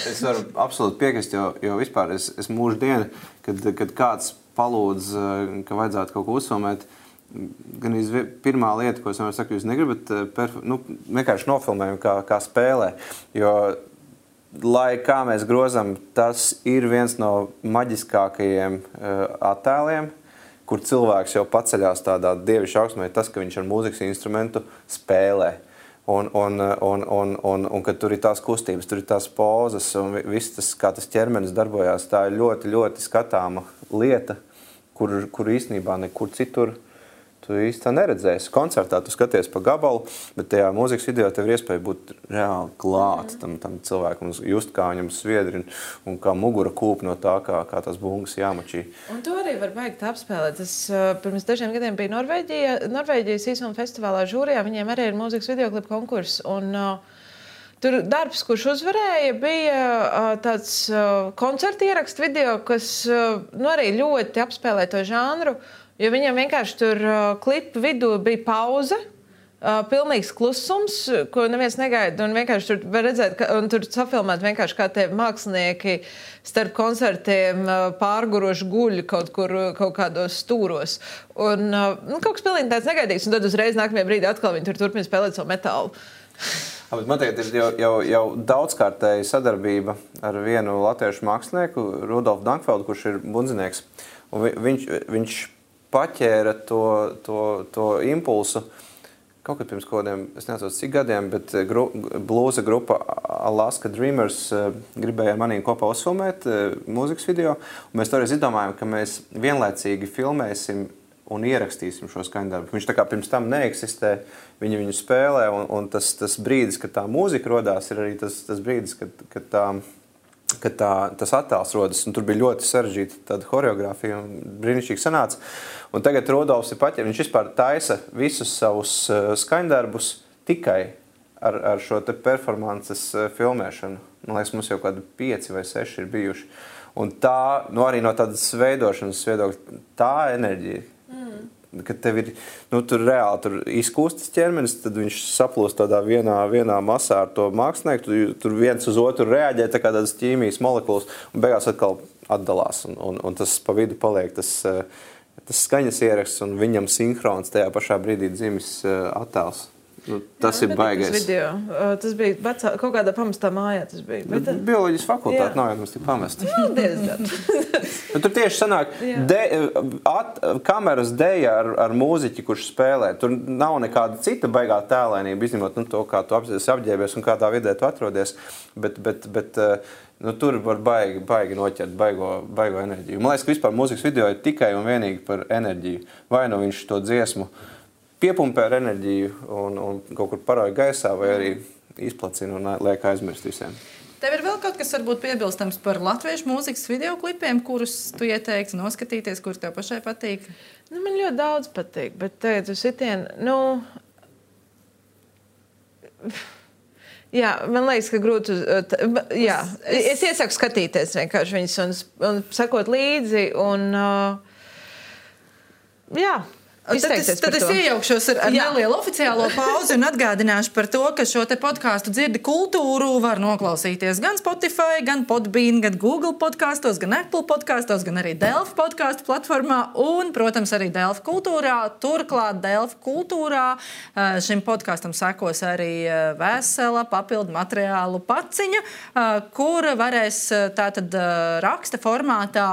es varu absolūti piekrist, jo, jo vispār es, es mūžu dienu, kad, kad kāds palūdz, ka vajadzētu kaut ko uzfilmēt, gan iz pirmā lieta, ko es vienmēr saku, jūs negribat, perf nu, vienkārši nofilmējumu kā, kā spēlē, jo, lai kā mēs grozam, tas ir viens no maģiskākajiem uh, attēliem, kur cilvēks jau paceļās tādā dievišķa augstumē, tas, ka viņš ar mūzikas instrumentu spēlē. Un, un, un, un, un, un kad tur ir tās kustības, tur ir tās pozas un viss tas, kā tas ķermenis darbojās, tā ir ļoti, ļoti skatāma lieta, kur, kur īstenībā nekur citur tu īsti tā neredzēsi. Koncertā tu skaties pa gabalu, bet tajā mūzikas video tev ir iespēja būt reāli klāt tam, tam cilvēkam, just kā viņam sviedri un, un kā mugura kūp no tā, kā, kā tās bungas jāmačī. Un to arī var baigt apspēlēt. Es uh, pirms dažiem gadiem biju Norvēģijā, Norvēģijas īsuma festivālā žūrijā, viņiem arī ir mūzikas videoklipu konkurss. Un, uh, tur darbs, kurš uzvarēja, bija uh, tāds uh, koncerta ierakstu video, kas uh, nu, arī ļoti apspēlē to žanru. Jo viņam vienkārši tur uh, klipa vidū bija pauze, uh, pilnīgs klusums, ko neviens negaida. Un vienkārši tur var redzēt, ka, un tur safilmēt vienkārši kā tie mākslinieki starp koncertiem uh, pārguroši guļ kaut kur, kaut kādos stūros. Un uh, nu, kaut kas pilnīgi tāds negaidīgs. Un tad uzreiz nākamajā brīdī atkal viņi tur turpina spēlēt savu metālu. Man tagad ir jau, jau, jau daudzkārtēja sadarbība ar vienu latviešu mākslinieku, Rudolfu Dankfeldu, kurš ir bundzinieks. Un vi, viņš, viņš paķēra to, to, to impulsu kaut kad pirms kodiem, es neatceros cik gadiem, bet gru, blūza grupa Alaska Dreamers gribēja manī kopā uzfilmēt mūzikas video. Un mēs toreiz izdomājām, ka mēs vienlaicīgi filmēsim un ierakstīsim šo skaņdarbu. Viņš tā kā pirms tam neeksistē, viņi viņu spēlē, un, un tas, tas brīdis, kad tā mūzika rodās, ir arī tas, tas brīdis, kad, kad tā ka tā, tas attēls rodas, un tur bija ļoti sarežģīta tāda horeogrāfija, un brīnišķīgi sanāca. Un tagad Rudolfs ir paķēris, viņš vispār taisa visus savus uh, skaņdarbus tikai ar, ar šo te performances uh, filmēšanu. Man liekas, mums jau kādi pieci vai seši ir bijuši. Un tā, nu arī no tādas veidošanas viedokļa, tā enerģija, kad tev ir, nu, tur reāli tur izkūstas ķermenis, tad viņš saplūst tādā vienā, vienā masā ar to mākslinieku, tu, tur viens uz otru reaģē, tā kā tādas ķīmijas molekulas, un beigās atkal atdalās, un, un, un tas pa vidu paliek tas, tas skaņas ieraksts, un viņam sinhrons tajā pašā brīdī dzimis attēls. Nu, tas Jā, ir baigais. Tas, tas bija vecā, kaut kādā pamestā mājā. Tas bija. Bet, Bioloģijas fakultāte nav jau mums tik pamesta. Jā, diezgan. Nu, tur tieši sanāk de, at, kameras deja ar, ar mūziķi, kurš spēlē. Tur nav nekāda cita baigā tēlēnība, izņemot nu, to, kā tu apģērbies un kādā vidē tu atrodies. Bet, bet, bet nu, tur var baigi, baigi noķert baigo, baigo enerģiju. Man liekas, ka vispār mūzikas video ir tikai un vienīgi par enerģiju. Vai nu viņš to dziesmu piepumpē ar enerģiju un, un kaut kur parauj gaisā, vai arī izplacina un liek aizmirst visiem. Tev ir vēl kaut kas varbūt piebilstams par latviešu mūzikas videoklipiem, kurus tu ieteiksi noskatīties, kur tev pašai patīk? Nu, man ļoti daudz patīk, bet tagad uz sitien, nu... Jā, man liekas, ka grūti... Jā, es iesaku skatīties vienkārši viņus un, un sakot līdzi un... Jā. Tad es, tad es iejaukšos ar, ar nelielu oficiālo pauzi un atgādināšu par to, ka šo te podkāstu Dzirdi kultūru var noklausīties gan Spotify, gan Podbean, gan Google podkastos, gan Apple podkastos, gan arī Delfi podkāstu platformā un, protams, arī Delfi kultūrā. Turklāt Delfi kultūrā šim podkastam sekos arī vesela papildu materiālu paciņa, kur varēs tātad raksta formātā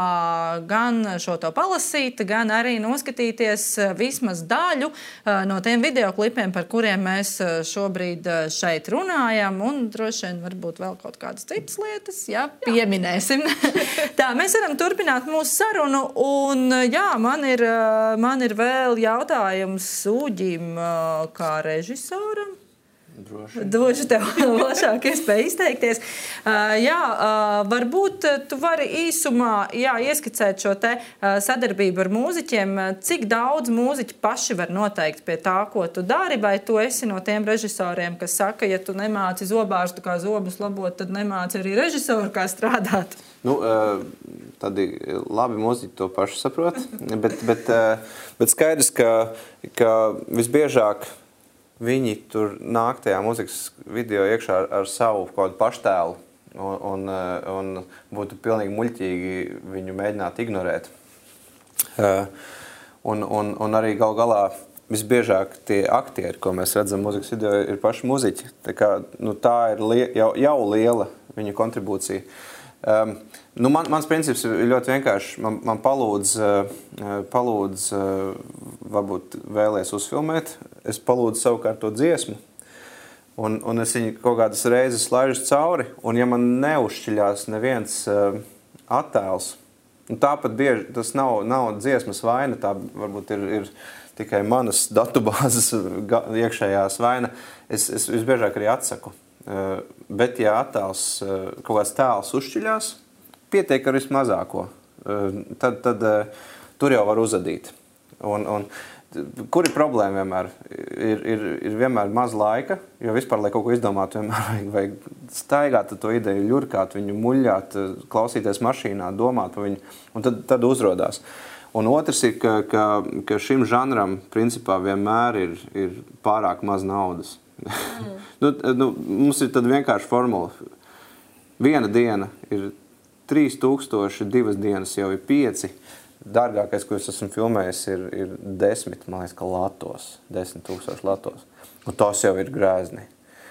gan šo to palasīt, gan arī noskatīties vismaz daļu no tiem videoklipiem, par kuriem mēs šobrīd šeit runājam, un droši vien varbūt vēl kaut kādas citas lietas, jā, pieminēsim. Tā, mēs varam turpināt mūsu sarunu, un jā, man ir, man ir vēl jautājums Uģim kā režisoram. Droši. Došu tev plašāk iespēju izteikties. Uh, jā, uh, varbūt tu vari īsumā jā, ieskicēt šo te uh, sadarbību ar mūziķiem. Cik daudz mūziķi paši var noteikt pie tā, ko tu dari, vai tu esi no tiem režisoriem, kas saka, ja tu nemāci zobārstu kā zobus labot, tad nemāci arī režisoru kā strādāt? Nu, tādi labi mūziķi to paši saprot, bet, bet, bet skaidrs, ka, ka visbiežāk viņi tur nāk tajā mūzikas video iekšā ar, ar savu kaut kādu paštēlu un, un, un būtu pilnīgi muļķīgi viņu mēģināt ignorēt. Un, un, un arī gal galā visbiežāk tie aktieri, ko mēs redzam mūzikas video, ir paši mūziķi. Tā, kā, nu, tā ir lie, jau, jau liela viņu kontribūcija. Um, nu man, mans princips ir ļoti vienkārši. Man, man palūdz, uh, palūdz uh, varbūt vēlies uzfilmēt. Es palūdzu savukārt to dziesmu. Un, un es viņu kaut kādas reizes laižu cauri. Un ja man neuzšķiļās neviens uh, attēls, un tāpat bieži tas nav, nav dziesmas vaina, tā varbūt ir, ir tikai manas datubāzes iekšējās vaina, es, es visbiežāk arī atsaku. Bet, ja attēls, kaut kāds tēls uzšķiļās, pietiek ar vismazāko, tad, tad tur jau var uzadīt. Un, un, kur ir problēma vienmēr? Ir, ir, ir vienmēr maz laika, jo vispār, lai kaut ko izdomātu, vienmēr vajag, vajag staigāt to ideju, ļurkāt viņu, muļļāt, klausīties mašīnā, domāt par viņu, un tad, tad uzrodās. Un otrs ir, ka, ka, ka šim žanram principā vienmēr ir, ir pārāk maz naudas. Mm. nu, nu, mums ir tad vienkārši formula. Viena diena ir trīs tūkstoši, divas dienas jau ir pieci. Dārgākais, ko es esmu filmējis, ir, ir desmit, man liekas, ka latos. Desmit tūkstoši latos. Un tos jau ir grēzni.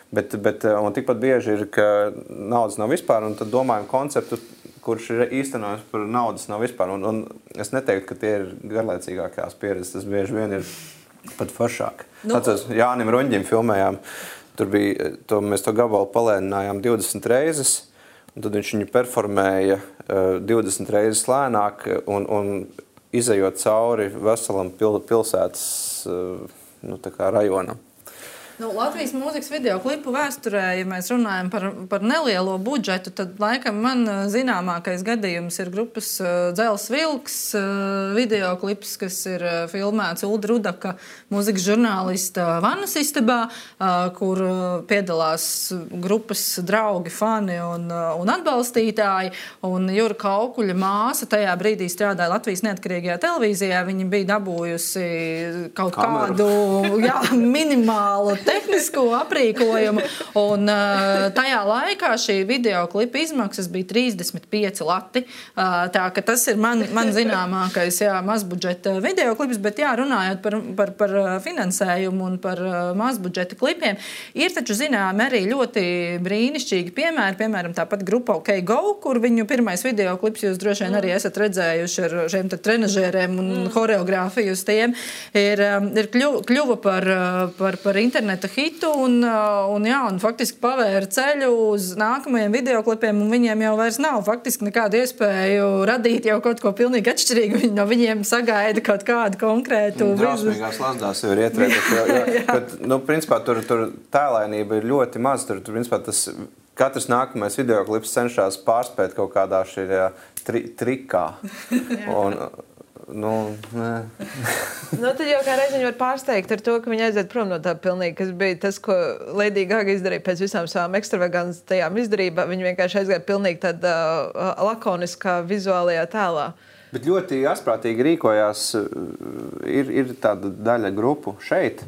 Bet, bet un tikpat bieži ir, ka naudas nav vispār, un tad domājam konceptu, kurš ir īstenojams par naudas nav vispār. Un, un es neteiktu, ka tie ir garlaicīgākās pieredzes, tas bieži vien ir pat foršāk. Nu. Atceros, Jānim Ruņģim filmējām, tur bija, to, mēs to gabalu palēninājām divdesmit reizes, un tad viņš viņu performēja uh, divdesmit reizes lēnāk, un, un izejot cauri veselam pil, pilsētas uh, nu, tā kā rajonam. Nu, Latvijas mūzikas video klipu vēsturē, ja mēs runājam par, par nelielo budžetu, tad laikam man zināmākais gadījums ir grupas Dzels Vilks video klips, kas ir filmēts Ulda Rudaka, mūzikas žurnālista Vannas istabā, kur piedalās grupas draugi, fani un, un atbalstītāji. Un Jura Kaukuļa māsa tajā brīdī strādāja Latvijas neatkarīgajā televīzijā. Viņa bija dabūjusi kaut Kameru. kādu jā, minimālu tehnisko aprīkojumu, un uh, tajā laikā šī videoklipa izmaksas bija trīsdesmit pieci lati. Uh, tā ka tas ir man, man zināmākais jā, mazbudžeta videoklips, bet jā, runājot par, par, par finansējumu un par uh, mazbudžeta klipiem, ir taču zinām arī ļoti brīnišķīgi piemēri, piemēram, tāpat grupa OK Go, kur viņu pirmais videoklips jūs droši vien arī esat redzējuši ar šiem trenažēriem un mm. horeogrāfiju uz tiem, ir, ir kļuva, kļuva par, par, par internetu hitu un, un, jā, un faktiski pavēra ceļu uz nākamajiem videoklipiem, un viņiem jau vairs nav faktiski nekādu iespēju radīt jau kaut ko pilnīgi atšķirīgu. Viņi no viņiem sagaida kaut kādu konkrētu... Drausmīgās lazdās jau ir ietrētas. Jo, jo, bet, nu, principā, tur, tur tēlainība ir ļoti maz. Tur, tur, principā, tas, katrs nākamais videoklips cenšas pārspēt kaut kādā šajā tri, trikā. Un, Nu, nu, tad jau kā reiz viņi var pārsteigt ar to, ka viņi aiziet prom no tā pilnīgi, kas bija tas, ko Lady Gaga izdarīja pēc visām savām ekstravagantajām izdarībām. Viņi vienkārši aizgāja pilnīgi tādā uh, lakoniskā vizuālajā tēlā. Bet ļoti asprātīgi rīkojās, ir, ir tāda daļa grupu šeit,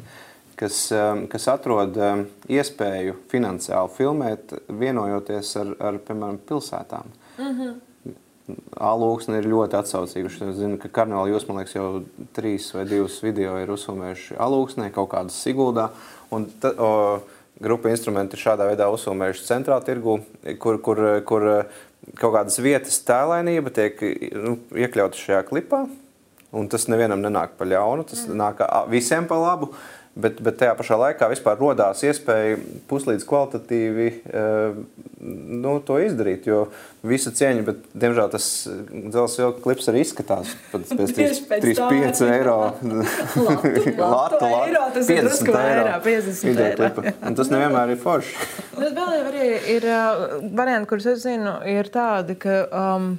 kas, kas atrod iespēju finansiāli filmēt, vienojoties ar, ar piemēram, pilsētām. Mhm. Alūksne ir ļoti atsaucīga. Es zinu, ka Karnevāla jūs, man liekas, jau trīs vai divus video ir uzfilmējuši Alūksnē, kaut kādas Siguldā. Un ta, o, grupa instrumenti ir šādā veidā uzfilmējuši centrāla tirgu, kur, kur, kur kaut kādas vietas tēlainība tiek nu, iekļauta šajā klipā. Un tas nevienam nenāk pa ļaunu, tas mm. nāk visiem pa labu. Bet, bet tajā pašā laikā vispār rodās iespēja puslīdz kvalitatīvi uh, nu, to izdarīt, jo visa cieņa, bet, diemžēl, tas Dzels Vilka klips arī izskatās pēc trīs pieci eiro. Latu, latu eiro, tas ir drusku vairāk, piecdesmit eiro. Un tas nevienmēr ir forši. Bet vēl jau arī ir uh, varianti, kurus es zinu, ir tādi, ka um,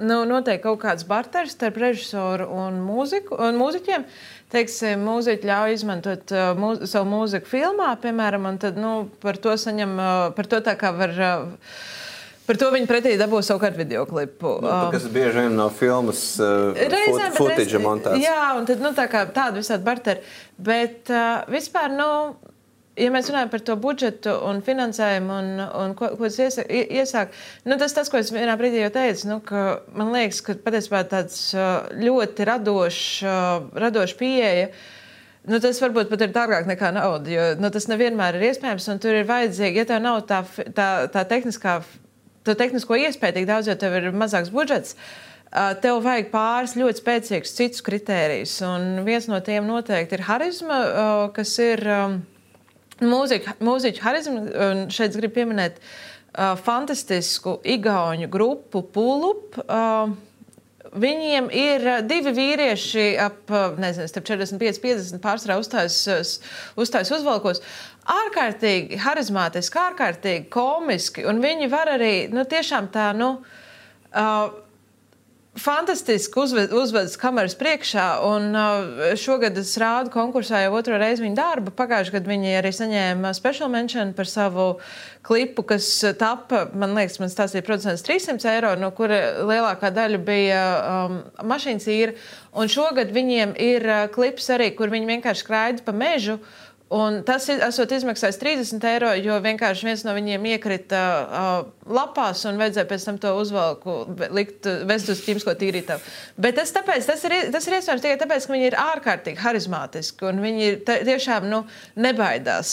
nu, notiek kaut kāds barteris starp režisoru un, mūziku, un mūziķiem. Teiksim, mūziķi ļauj izmantot uh, mūz, savu mūziku filmā, piemēram, un tad, nu, par to saņem, uh, par to tā kā var, uh, par to viņi pretī dabū savukārt videoklipu. Nu, kas bieži vien no filmas uh, reizēm, footage montēts. Jā, un tad, nu, tā kā tādu visādi barteri. Bet uh, vispār, nu, ja mēs runājam par to budžetu un finansējumu un, un ko, ko es iesāk, iesāk nu, tas tas, ko es vienā brīdī jau teicu, nu, ka man liekas, ka patiesībā tāds ļoti radošs, radošs pieeja, nu, tas varbūt pat ir dārgāk nekā nauda, jo nu, tas nevienmēr ir iespējams, un tur ir vajadzīgi, ja tev nav tā, tā, tā tehniskā, to tehnisko iespēju tik daudz, jo tev ir mazāks budžets, tev vajag pāris ļoti spēcīgus citus kritērijus, un viens no tiem noteikti ir harizma, kas ir Mūziķu, mūziķu harizmu, un šeit gribu pieminēt uh, fantastisku igauņu grupu Pulup, uh, Viņiem ir divi vīrieši ap, nezinu, starp četrdesmit pieci piecdesmit pārsvarā uzstājas, uzstājas uzvalkos. Ārkārtīgi harizmātiski, ārkārtīgi komiski, un viņi var arī, nu, tiešām tā, nu, uh, fantastiski uzved, uzvedas kameras priekšā, un uh, šogad es rādu konkursā jau otro reizi viņu darbu. Pagājuši gadu viņi arī saņēma special mention par savu klipu, kas tapa, man liekas, man stāstīja producents trīssimts eiro, no kura lielākā daļa bija um, mašīnas īra. Un šogad viņiem ir uh, klips arī, kur viņi vienkārši skraida pa mežu. Un tas esot izmaksājis trīsdesmit eiro, jo vienkārši viens no viņiem iekrita uh, lapās un vajadzēja pēc tam to uzvalku likt, vest uz ķīmisko tīrītavu. Bet tas, tāpēc, tas, ir, tas ir iespējams tikai tāpēc, ka viņi ir ārkārtīgi harizmātiski un viņi tiešām nu, nebaidās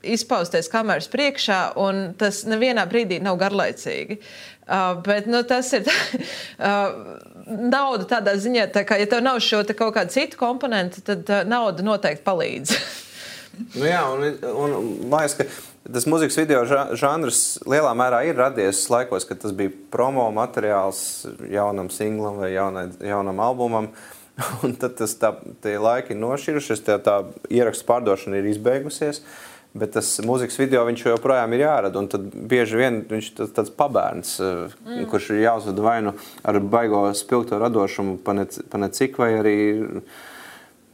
izpausties kameras priekšā un tas nevienā brīdī nav garlaicīgi. Uh, bet nu, tas ir uh, nauda tādā ziņā, tā kā, ja tev nav šo te kaut kādu citu komponentu, tad uh, nauda noteikti palīdz. Nu jā, un, un, un man liekas, ka tas mūzikas video žanrs lielā mērā ir radies laikos, kad tas bija promo materiāls jaunam singlam vai jaunai, jaunam albumam. Un tad tas tā, tie laiki ir nošķirušies, tā, tā ierakstu pārdošana ir izbeigusies, bet tas mūzikas video viņš joprojām ir jārada. Un tad bieži vien viņš ir tāds pabērns, mm. kurš ir jāuzvada vai nu ar baigo spilgto radošumu pa ne, pa ne cik, vai arī...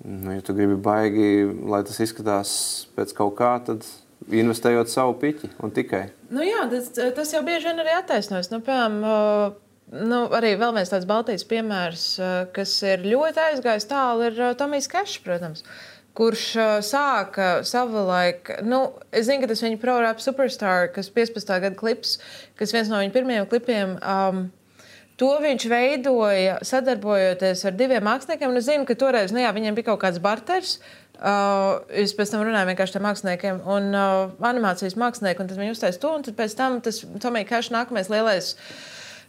Nu, ja tu gribi baigi, lai tas izskatās pēc kaut kā, tad investējot savu piķi un tikai. Nu jā, tas, tas jau bieži vien arī attaisnojas. Nu, piemēram, nu, arī vēl viens tāds Baltijas piemērs, kas ir ļoti aizgājis tālu, ir Tomijs Kešs, protams, kurš sāka savulaik, nu, es zinu, ka tas viņa Pro Rap Superstar, kas piecpadsmitā gada klips, kas viens no viņa pirmajiem klipiem, um, to viņš veidoja sadarbojoties ar diviem māksliniekiem. Un es zinu, ka toreiz, nu jā, viņiem bija kaut kāds barters. Uh, es pēc tam runāju vienkārši ar māksliniekiem un uh, animācijas mākslinieku, un tad viņi uztais to, un tad pēc tam tas Tomija Keša nākamais lielais,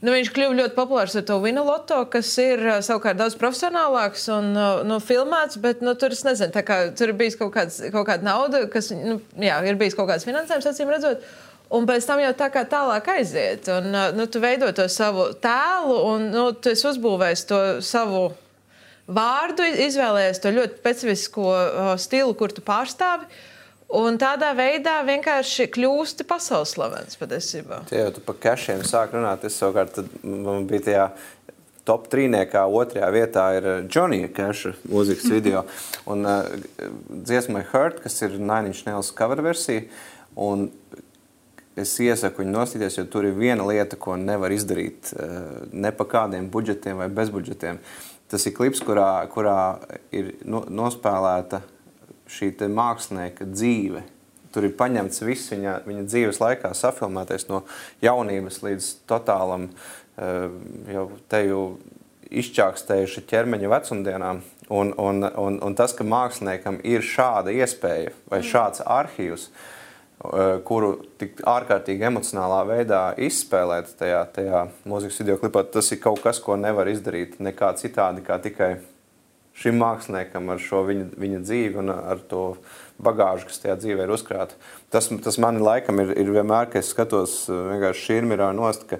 nu viņš kļuva ļoti populārs ar to Vinu Loto, kas ir uh, savukārt daudz profesionālāks un uh, nu, filmēts, bet nu, tur es nezinu, tā kā tur ir bijis kaut, kāds, kaut kāda nauda, kas, nu, jā, ir bijis kaut kāds finansējums, acīm redzot. Un pēc tam jau tā kā tālāk aiziet. Un, nu, tu veido to savu tēlu un nu, tu esi uzbūvējis to savu vārdu, izvēlējies to ļoti specifisko uh, stilu, kur tu pārstāvi. Un tādā veidā vienkārši kļūsti pasaules slavens patiesībā. Tie jau tu pa Kešiem sāk runāt. Es savukārt, tad man bija tajā top trīniekā otrajā vietā ir Johnija Keša mūzikas video. Un uh, dziesmai Hurt, kas ir Nine Inch Nails cover versija. Un es iesaku viņu nostīties, jo tur ir viena lieta, ko nevar izdarīt ne pa kādiem budžetiem vai bezbudžetiem. Tas ir klips, kurā, kurā ir nospēlēta šī te mākslinieka dzīve. Tur ir paņemts viss viņa, viņa dzīves laikā safilmētais no jaunības līdz totālam jau teju izčākstējuši ķermeņa vecumdienām. Un, un, un, un tas, ka māksliniekam ir šāda iespēja vai šāds arhīvs, kuru tik ārkārtīgi emocionālā veidā izspēlēt tajā, tajā mūzikas videoklipā, tas ir kaut kas, ko nevar izdarīt nekā citādi, kā tikai šim māksliniekam ar šo viņa, viņa dzīvi un ar to bagāžu, kas tajā dzīvē ir uzkrāta. Tas, tas mani laikam ir, ir vienmēr, ka es skatos vienkārši širmirā nost, ka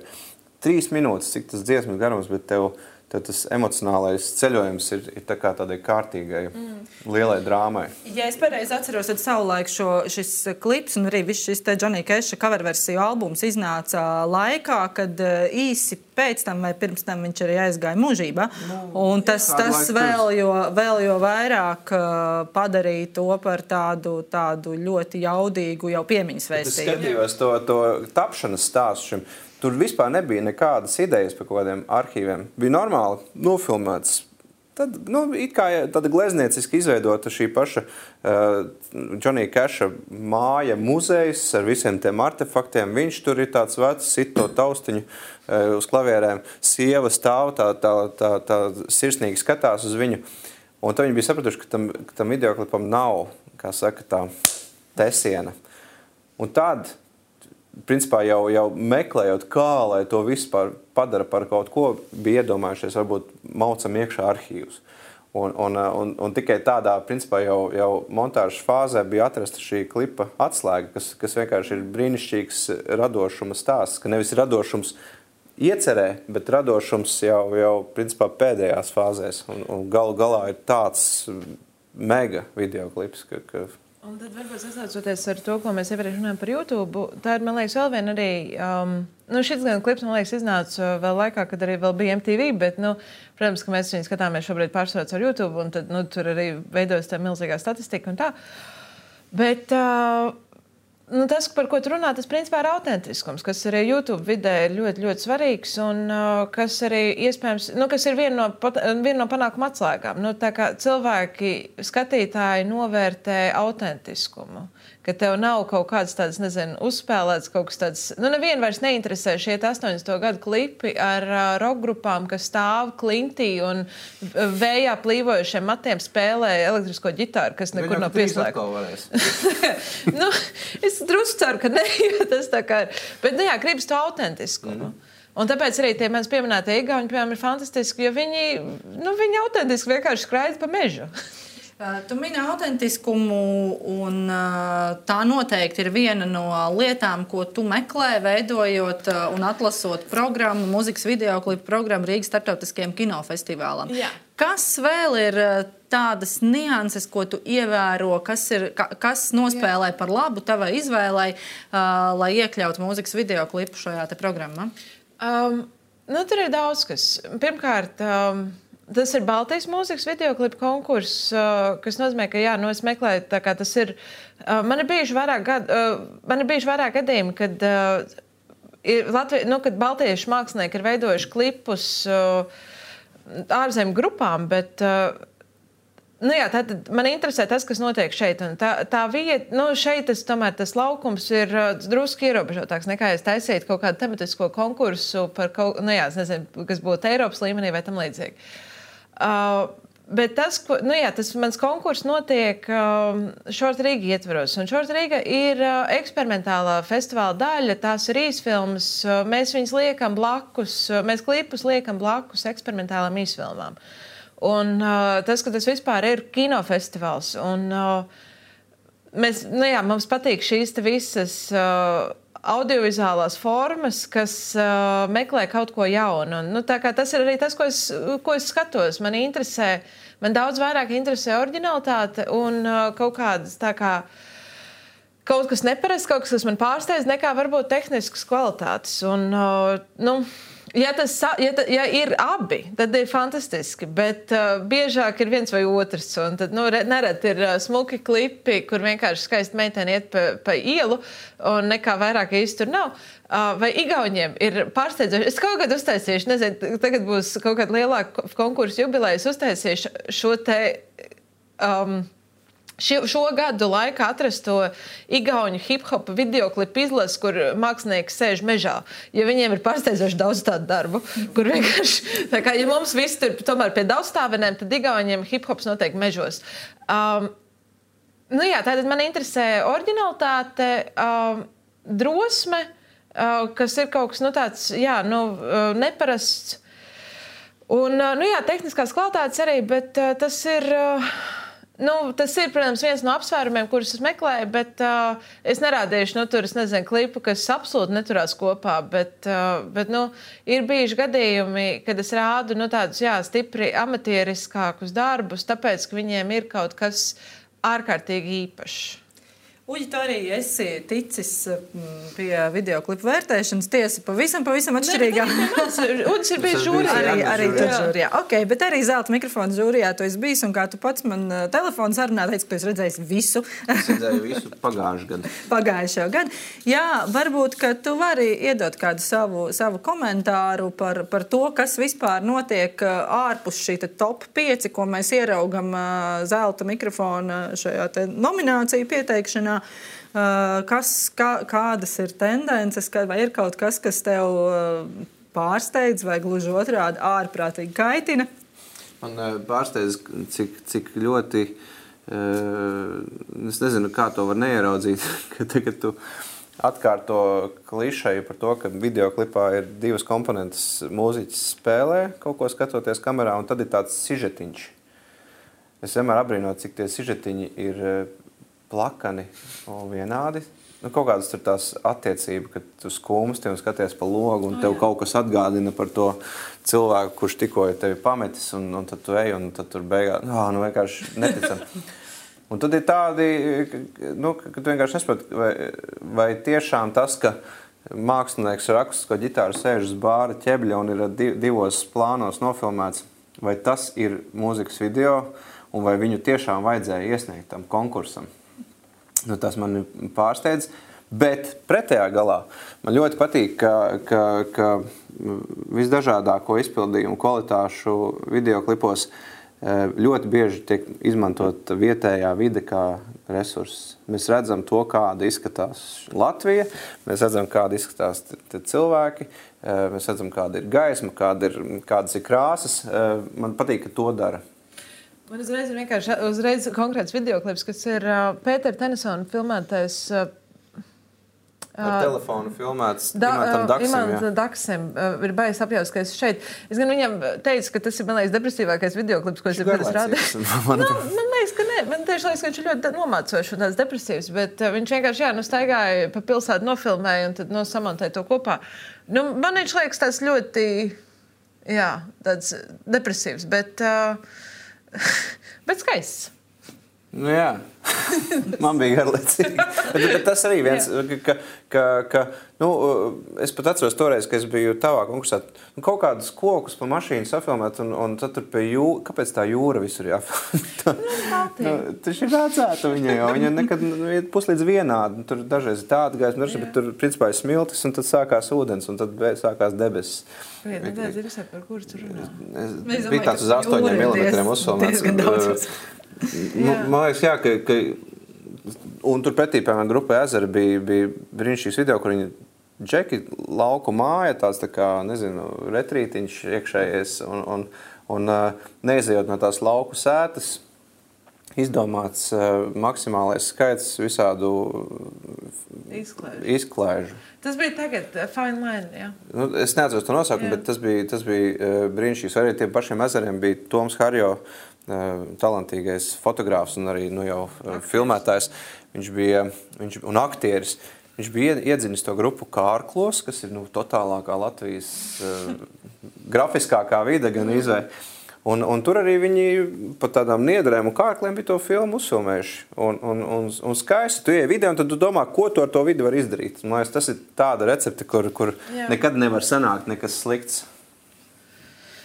trīs minūtes, cik tas dziesmas garums, bet tev tad tas emocionālais ceļojums ir, ir tā kā tādai kārtīgai, mm. lielai drāmai. Ja es pareizi atceros, tad savulaik šo, šis klips un arī viss šis te Johnija Keša coverversiju albums iznāca laikā, kad īsi pēc tam vai pirms tam viņš arī aizgāja mūžībā. Nu, un tas, jā, tas vēl, jo, vēl jo vairāk padarīja to par tādu, tādu ļoti jaudīgu jau piemiņas vēstījumu. Es skatījos to, to tapšanas stāstu šim. Tur vispār nebija nekādas idejas par kaut kādiem arhīviem. Bija normāli nofilmēts. Tad, nu, it kā tāda gleznieciski izveidota šī paša uh, Johnija Keša māja, muzejs ar visiem tiem artefaktiem. Viņš tur ir tāds vecs, sit to taustiņu uh, uz klavierēm. Sieva stāv, tā, tā, tā, tā sirsnīgi skatās uz viņu. Un tad viņi bija sapratuši, ka tam, ka tam videoklipam nav, kā saka, tā tesiena. Un tad principā jau, jau meklējot, kā, lai to vispār padara par kaut ko, bija iedomājušies, varbūt maucam iekšā arhīvus. Un, un, un, un tikai tādā, principā, jau, jau montāžas fāzē bija atrasta šī klipa atslēga, kas, kas vienkārši ir brīnišķīgs radošuma stāsts, ka nevis radošums iecerē, bet radošums jau, jau principā pēdējās fāzēs. Un, un galu galā ir tāds mega videoklips, ka, ka un tad varbūt sasaucoties ar to, ko mēs iepriekš runājam par YouTube, tā ir, man liekas, vēl viena arī, um, nu, šis gan klips, man liekas, iznāca vēl laikā, kad arī vēl bija M T V, bet, nu, protams, ka mēs viņu skatāmies šobrīd pārsvarot ar YouTube, un tad, nu, tur arī veidojas tā milzīgā statistika un tā. Bet, uh, nu, tas, par ko tu runā, tas principā ir autentiskums, kas arī YouTube vidē ir ļoti, ļoti svarīgs un uh, kas arī iespējams, nu, kas ir viena no, viena no panākuma atslēgām. Nu, tā kā cilvēki, skatītāji novērtē autentiskumu, ka tev nav kaut kāds tāds, nezinu, uzspēlēts kaut kas tāds, nu, nevienu vairs neinteresē šie astoņdesmito gadu klipi ar uh, rock grupām, kas stāv klintī un vējā plīvojušiem matiem spēlē elektrisko ģitāru, kas nekur nav pieslēgta. Nu, es drusku ceru, ka ne, jo tas tā kā ir. Bet, nu jā, gribas to autentiskumu. Mm. Un tāpēc arī tie manis pieminētie igauņi, piemēram, ir fantastiski, jo viņi, nu, viņi autentiski vienkārši skraida pa mežu. Tu mini autentiskumu, un tā noteikti ir viena no lietām, ko tu meklē, veidojot un atlasot programmu, mūzikas videoklipu programmu Rīgas starptautiskajam kinofestivālam. Jā. Kas vēl ir tādas nianses, ko tu ievēro, kas, ir, kas nospēlē par labu tavai izvēlei, lai iekļautu mūzikas videoklipu šajā te programmā? Um, nu, tur ir daudz kas. Pirmkārt, um, tas ir Baltijas mūzikas videoklipa konkurss, uh, kas nozīmē, ka jā, nu, es meklēju, tā kā tas ir. Uh, man ir bijuši vairāk, gad, uh, man ir bijuši vairāk gadījumi, kad, uh, ir Latvi, nu, kad baltiešu mākslinieki ir veidojuši klipus uh, ārzemju grupām, bet uh, nu, jā, tad man interesē tas, kas notiek šeit. Un tā, tā vieta, nu, šeit tas, tomēr tas laukums ir uh, drusku ierobežotāks nekā es taisītu kaut kādu tematisko konkursu par kaut, nu, jā, es nezinu, kas būtu Eiropas līmenī vai tam līdzīgi. Uh, bet tas, ko, nu jā, tas mans konkurss notiek uh, Short Riga ietveros. Un Short Riga ir uh, eksperimentālā festivāla daļa, tās ir īsfilmas. Uh, mēs viņus liekam blakus, uh, mēs klipus liekam blakus eksperimentālām īsfilmām. Un uh, tas, ka tas vispār ir kinofestivāls. Un uh, mēs, nu jā, mums patīk šīs te visas uh, audiovizuālās formas, kas uh, meklē kaut ko jaunu. Un, nu, tā kā tas ir arī tas, ko es, ko es skatos. Man interesē, man daudz vairāk interesē oriģinalitāte un uh, kaut kādas tā kā kaut kas neparasts, kaut kas, kas man pārsteidz, nekā varbūt tehniskas kvalitātes. Un, uh, nu, ja, tas, ja, ta, ja ir abi, tad ir fantastiski, bet uh, biežāk ir viens vai otrs. Un tad, nu, nereti ir uh, smuki klipi, kur vienkārši skaisti meiteni iet pa, pa ielu, un nekā vairāk īsti tur nav. Uh, vai igauņiem ir pārsteidzoši? Es kaut kad uztaisīšu, nezinu, tagad būs kaut kāda lielāka konkursa jubilejas, uztaisīšu šo te... Um, Šo, šo gadu laikā atrasto igauņu hip-hop videoklipu izlasi, kur mākslinieki sēž mežā, jo viņiem ir pārsteidzoši daudz tādu darbu, kur vienkārši, tā kā, ja mums viss tur tomēr pie daudzstāvenēm, tad igauņiem hip-hops noteikti mežos. Um, nu jā, tātad man interesē oriģinalitāte, um, drosme, uh, kas ir kaut kas, nu tāds, jā, nu, uh, neparasts, un, uh, nu jā, tehniskās kvalitātes arī, bet uh, tas ir... Uh, Nu, tas ir, protams, viens no apsvērumiem, kurus es meklēju, bet uh, es nerādīšu, nu, tur, es nezinu, klipu, kas absolūti neturās kopā, bet, uh, bet nu, ir bijuši gadījumi, kad es rādu, nu, tādus, jā, stipri amatieriskākus darbus, tāpēc, ka viņiem ir kaut kas ārkārtīgi īpašs. Uģi, tu arī esi ticis pie videoklipu vērtēšanas, tiesa pavisam, pavisam atšķirīgā. Uģis ir bijis žūrijā. Arī, arī tur žūrijā. Ok, bet arī zelta mikrofona žūrijā tu esi bijis, un kā tu pats man telefonu sarunā teici, ka tu esi redzējis visu. Es redzēju visu pagājušu gadu. Pagājušo gadu. Jā, varbūt, ka tu vari iedot kādu savu, savu komentāru par, par to, kas vispār notiek ārpus šī top pieci, ko mēs ieraugam zelta mikrofona šajā te nomināciju pieteikšanā. Kas, kā, kādas ir tendences, vai ir kaut kas, kas tev pārsteidz vai gluži otrādi ārprātīgi kaitina? Man pārsteidz, cik, cik ļoti, es nezinu, kā to var neieraudzīt, ka tagad tu atkārto klišeju par to, ka videoklipā ir divas komponentes, mūziķis spēlē, kaut ko skatoties kamerā, un tad ir tāds sižetiņš. Es vienmēr abrīnoju, cik tie sižetiņi ir plakani un vienādi, nu, kaut kādas tur tās attiecība, kad tu skumsti un skaties pa logu, un tev oh, kaut kas atgādina par to cilvēku, kurš tikko ir tevi pametis, un, un tad tu ej, un tad tur beigās, oh, nu vienkārši neticam. Un tad ir tādi, nu, ka tu vienkārši nesaproti, vai, vai tiešām tas, ka mākslinieks ar akustisko ģitāru sēž uz bāra ķebļa un ir divos plānos nofilmēts, vai tas ir mūzikas video, un vai viņu tiešām vajadzēja iesniegt tam konkursam. Nu, tas man pārsteidz, bet pretējā galā man ļoti patīk, ka, ka, ka visdažādāko izpildījumu kvalitāšu videoklipos ļoti bieži tiek izmantot vietējā vide kā resurss. Mēs redzam to, kāda izskatās Latvija, mēs redzam, kāda izskatās cilvēki, mēs redzam, kāda ir gaisma, kāda ir, kādas ir krāsas. Man patīk, ka to dara. Man uzreiz ir vienkārši uzreiz konkrēts videoklips, kas ir uh, Pētera Tenisona filmētais uh, ar telefonu filmēts da, Imantam Daksim. Imantam Daksim uh, ir baigi apjaust, ka es šeit. Es gan viņam teicu, ka tas ir, man liekas, depresīvākais videoklips, ko es ir pēc rādījis. Man, nu, man liekas, ka ne. Man tieši liekas, ka viņš ir ļoti nomācošs un tāds depresīvs, bet uh, viņš vienkārši, jā, nu staigāja pa pilsētu, nofilmēja un tad no samontēja to kopā. Nu, man viņš liekas tāds ļoti, jā, tāds depresīvs, bet... Uh, bet skaists. Nu jā, man bija garlaicīgi. Bet, bet tas arī viens, ka, ka, ka nu, es pat atceros toreiz, ka es biju tavā konkursā, nu, kaut kādus kokus pa mašīnu safilmēt, un, un tad tur pie jūra, kāpēc tā jūra visur jāfilmēt? Nu, tas ir vecāta viņa jau, viņa nekad nu, iet puslīdz vienādi, tur dažreiz ir tāda gaisma, bet tur principā ir smiltis, un tad sākās ūdens, un tad sākās debesis. Pēc, nedēļ ir visai par kuru tur runā. Es biju tāds uz astoņiem milimetriem uzfilmēts. Nu, man liekas, jā, ka, ka un tur pretī, piemēram, grupai Ezera bija, bija brīnišķīgs video, kur viņi džeki lauku māja, tāds tā kā, nezinu, retrītiņš iekšējies un, un, un neizejot no tās lauku sētas, izdomāts uh, maksimālais skaits visādu izklaižu. izklaižu. Tas bija tagad, uh, Fine Line, jā. Nu, es neatceros to nosaukumu, bet tas bija, tas bija uh, brīnišķīgs. Arī tiem pašiem Ezeriem bija Toms Harjo, uh, talantīgais fotogrāfs un arī nu, jau uh, filmētājs. Viņš bija, viņš, un aktieris. Viņš bija iedzinis to grupu Kārklos, kas ir nu, totālākā Latvijas uh, grafiskākā vide gan izvēj. Un, un tur arī viņi pa tādām niedrēm un kārkliem bija to filmu uzfilmējuši. Un, un, un, un skaisti, tu ieej video un tad tu domā, ko tu ar to vidi var izdarīt. Man liekas, tas ir tāda recepte, kur, kur nekad nevar sanākt nekas slikts.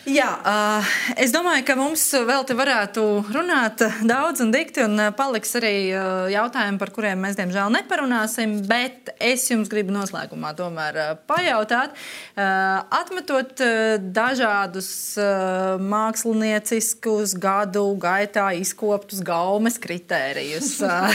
Jā, uh, es domāju, ka mums vēl te varētu runāt daudz un dikti, un paliks arī uh, jautājumi, par kuriem mēs, diemžēl, neparunāsim, bet es jums gribu noslēgumā tomēr uh, pajautāt, uh, atmetot uh, dažādus uh, mākslinieciskus gadu gaitā izkoptus gaumes kritērijus, uh,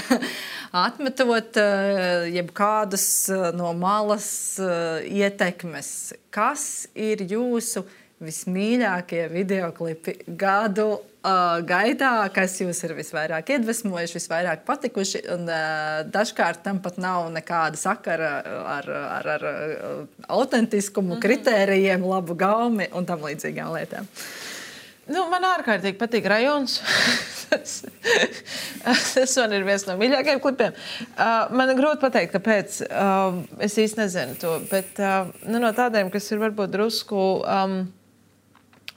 atmetot uh, jebkādas uh, no malas uh, ietekmes, kas ir jūsu vismīļākie videoklipi gadu uh, gaitā, kas jūs ir visvairāk iedvesmojuši, visvairāk patikuši, un uh, dažkārt tam pat nav nekāda sakara ar, ar, ar autentiskumu, mm-hmm. kritērijiem, labu gaumi un tam līdzīgām lietām. Nu, man ārkārtīgi patīk rajons. tas, tas man ir viens no mīļākajiem klipiem. Uh, man ir grūti pateikt, kāpēc. Uh, es īsti nezinu to, bet uh, nu, no tādiem, kas ir varbūt drusku um,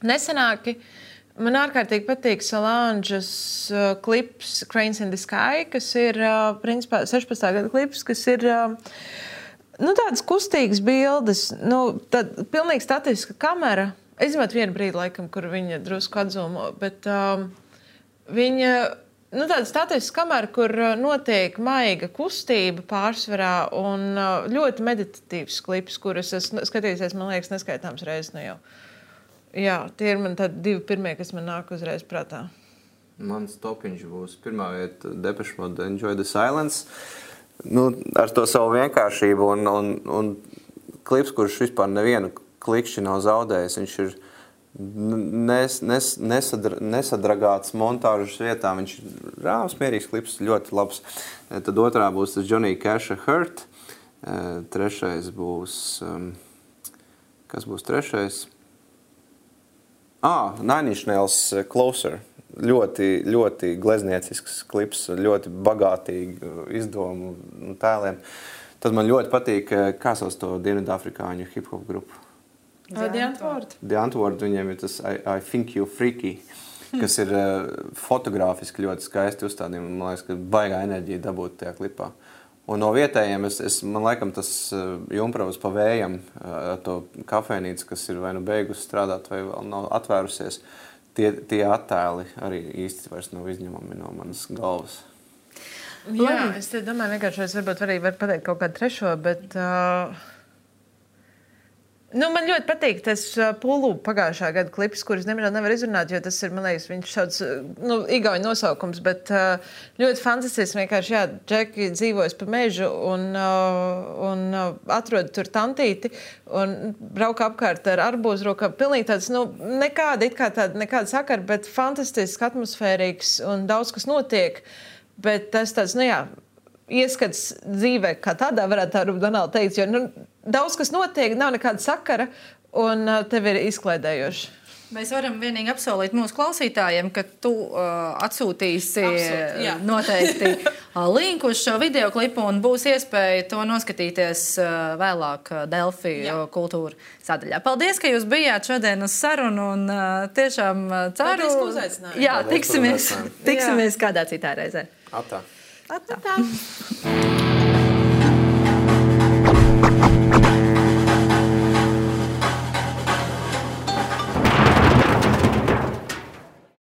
nesenāki, man ārkārtīgi patīk Solanges uh, klips Cranes in the Sky, kas ir uh, principā sešpadsmitā gada klips, kas ir uh, nu, tādas kustīgas bildes, nu, tad pilnīgi statiska kamera. Es izmantoju vienu brīdi, laikam, kur viņa drusku atzūmo, bet um, viņa, nu, tāda statiska kamera, kur notiek maiga kustība pārsvarā un uh, ļoti meditatīvs klips, kurus es skatīsies, man liekas, neskaitāms reizes nu jau. Jā, tie ir man tādi divi pirmie, kas man nāk uzreiz prātā. Mans topiņš būs pirmā vieta Depeche Mode Enjoy the Silence. Nu, ar to savu vienkāršību un, un, un klips, kurš vispār nevienu klikšķi nav zaudējis. Viņš ir nes, nes, nesadra, nesadragāts montāžas vietā. Viņš ir rāms, mierīgs klips, ļoti labs. Tad otrā būs tas Johnny Casha Hurt. Trešais būs... Kas būs trešais? Ah, Nine Inch Nails Closer. ļoti, ļoti glezniecisks klips, ļoti bagātīgi izdomu un tēliem. Tad man ļoti patīk, kā sauc to Dienvidāfrikāņu hip-hop grupu. The Antwoord. The Antwoord, viņiem ir tas I, I Think You Freaky, kas ir uh, fotogrāfiski ļoti skaisti uzstādījumi. Man liekas, ka baigā enerģija dabūt tajā klipā. Un no vietējiem, es, es, man laikam tas uh, Jumpravas pa vējam, uh, to kafejnīcu, kas ir vai nu beigusi strādāt, vai vēl nav atvērusies, tie, tie attēli arī īsti vairs nav izņemami no manas galvas. Jā, es domāju, vienkārši es varbūt arī varu pateikt kaut kādu trešo, bet... Uh... Nu, man ļoti patīk tas Pulu pagājušā gada klips, kurus nemaz nevar izrunāt, jo tas ir, man liekas, viņš šāds, nu, igauņu nosaukums, bet ļoti fantastisks. Vienkārši, jā, Džeki dzīvojas pa mežu un, un atrod tur tantīti un brauka apkārt ar arbūzu rokā. Pilnīgi tāds, nu, nekāda, it kā tāda, nekāda sakara, bet fantastisks, atmosfērīgs un daudz kas notiek. Bet tas tāds, nu jā, ieskats dzīvē, kā tādā varētu tā Donalda teikt, jo nu, daudz kas notiek, nav nekāda sakara un uh, tev ir izklaidējoši. Mēs varam vienīgi apsolīt mūsu klausītājiem, ka tu uh, atsūtīsi Absolut, jā. noteikti uh, linku uz šo videoklipu un būs iespēja to noskatīties uh, vēlāk uh, Delfi uh, kultūra sadaļā. Paldies, ka jūs bijāt šodien uz sarunu un uh, tiešām uh, ceru... Paldies, ka uzaicinājāt. Jā, Paldies, tiksimies, tiksimies jā. kādā citā reizē. Atā. Atā. Atā.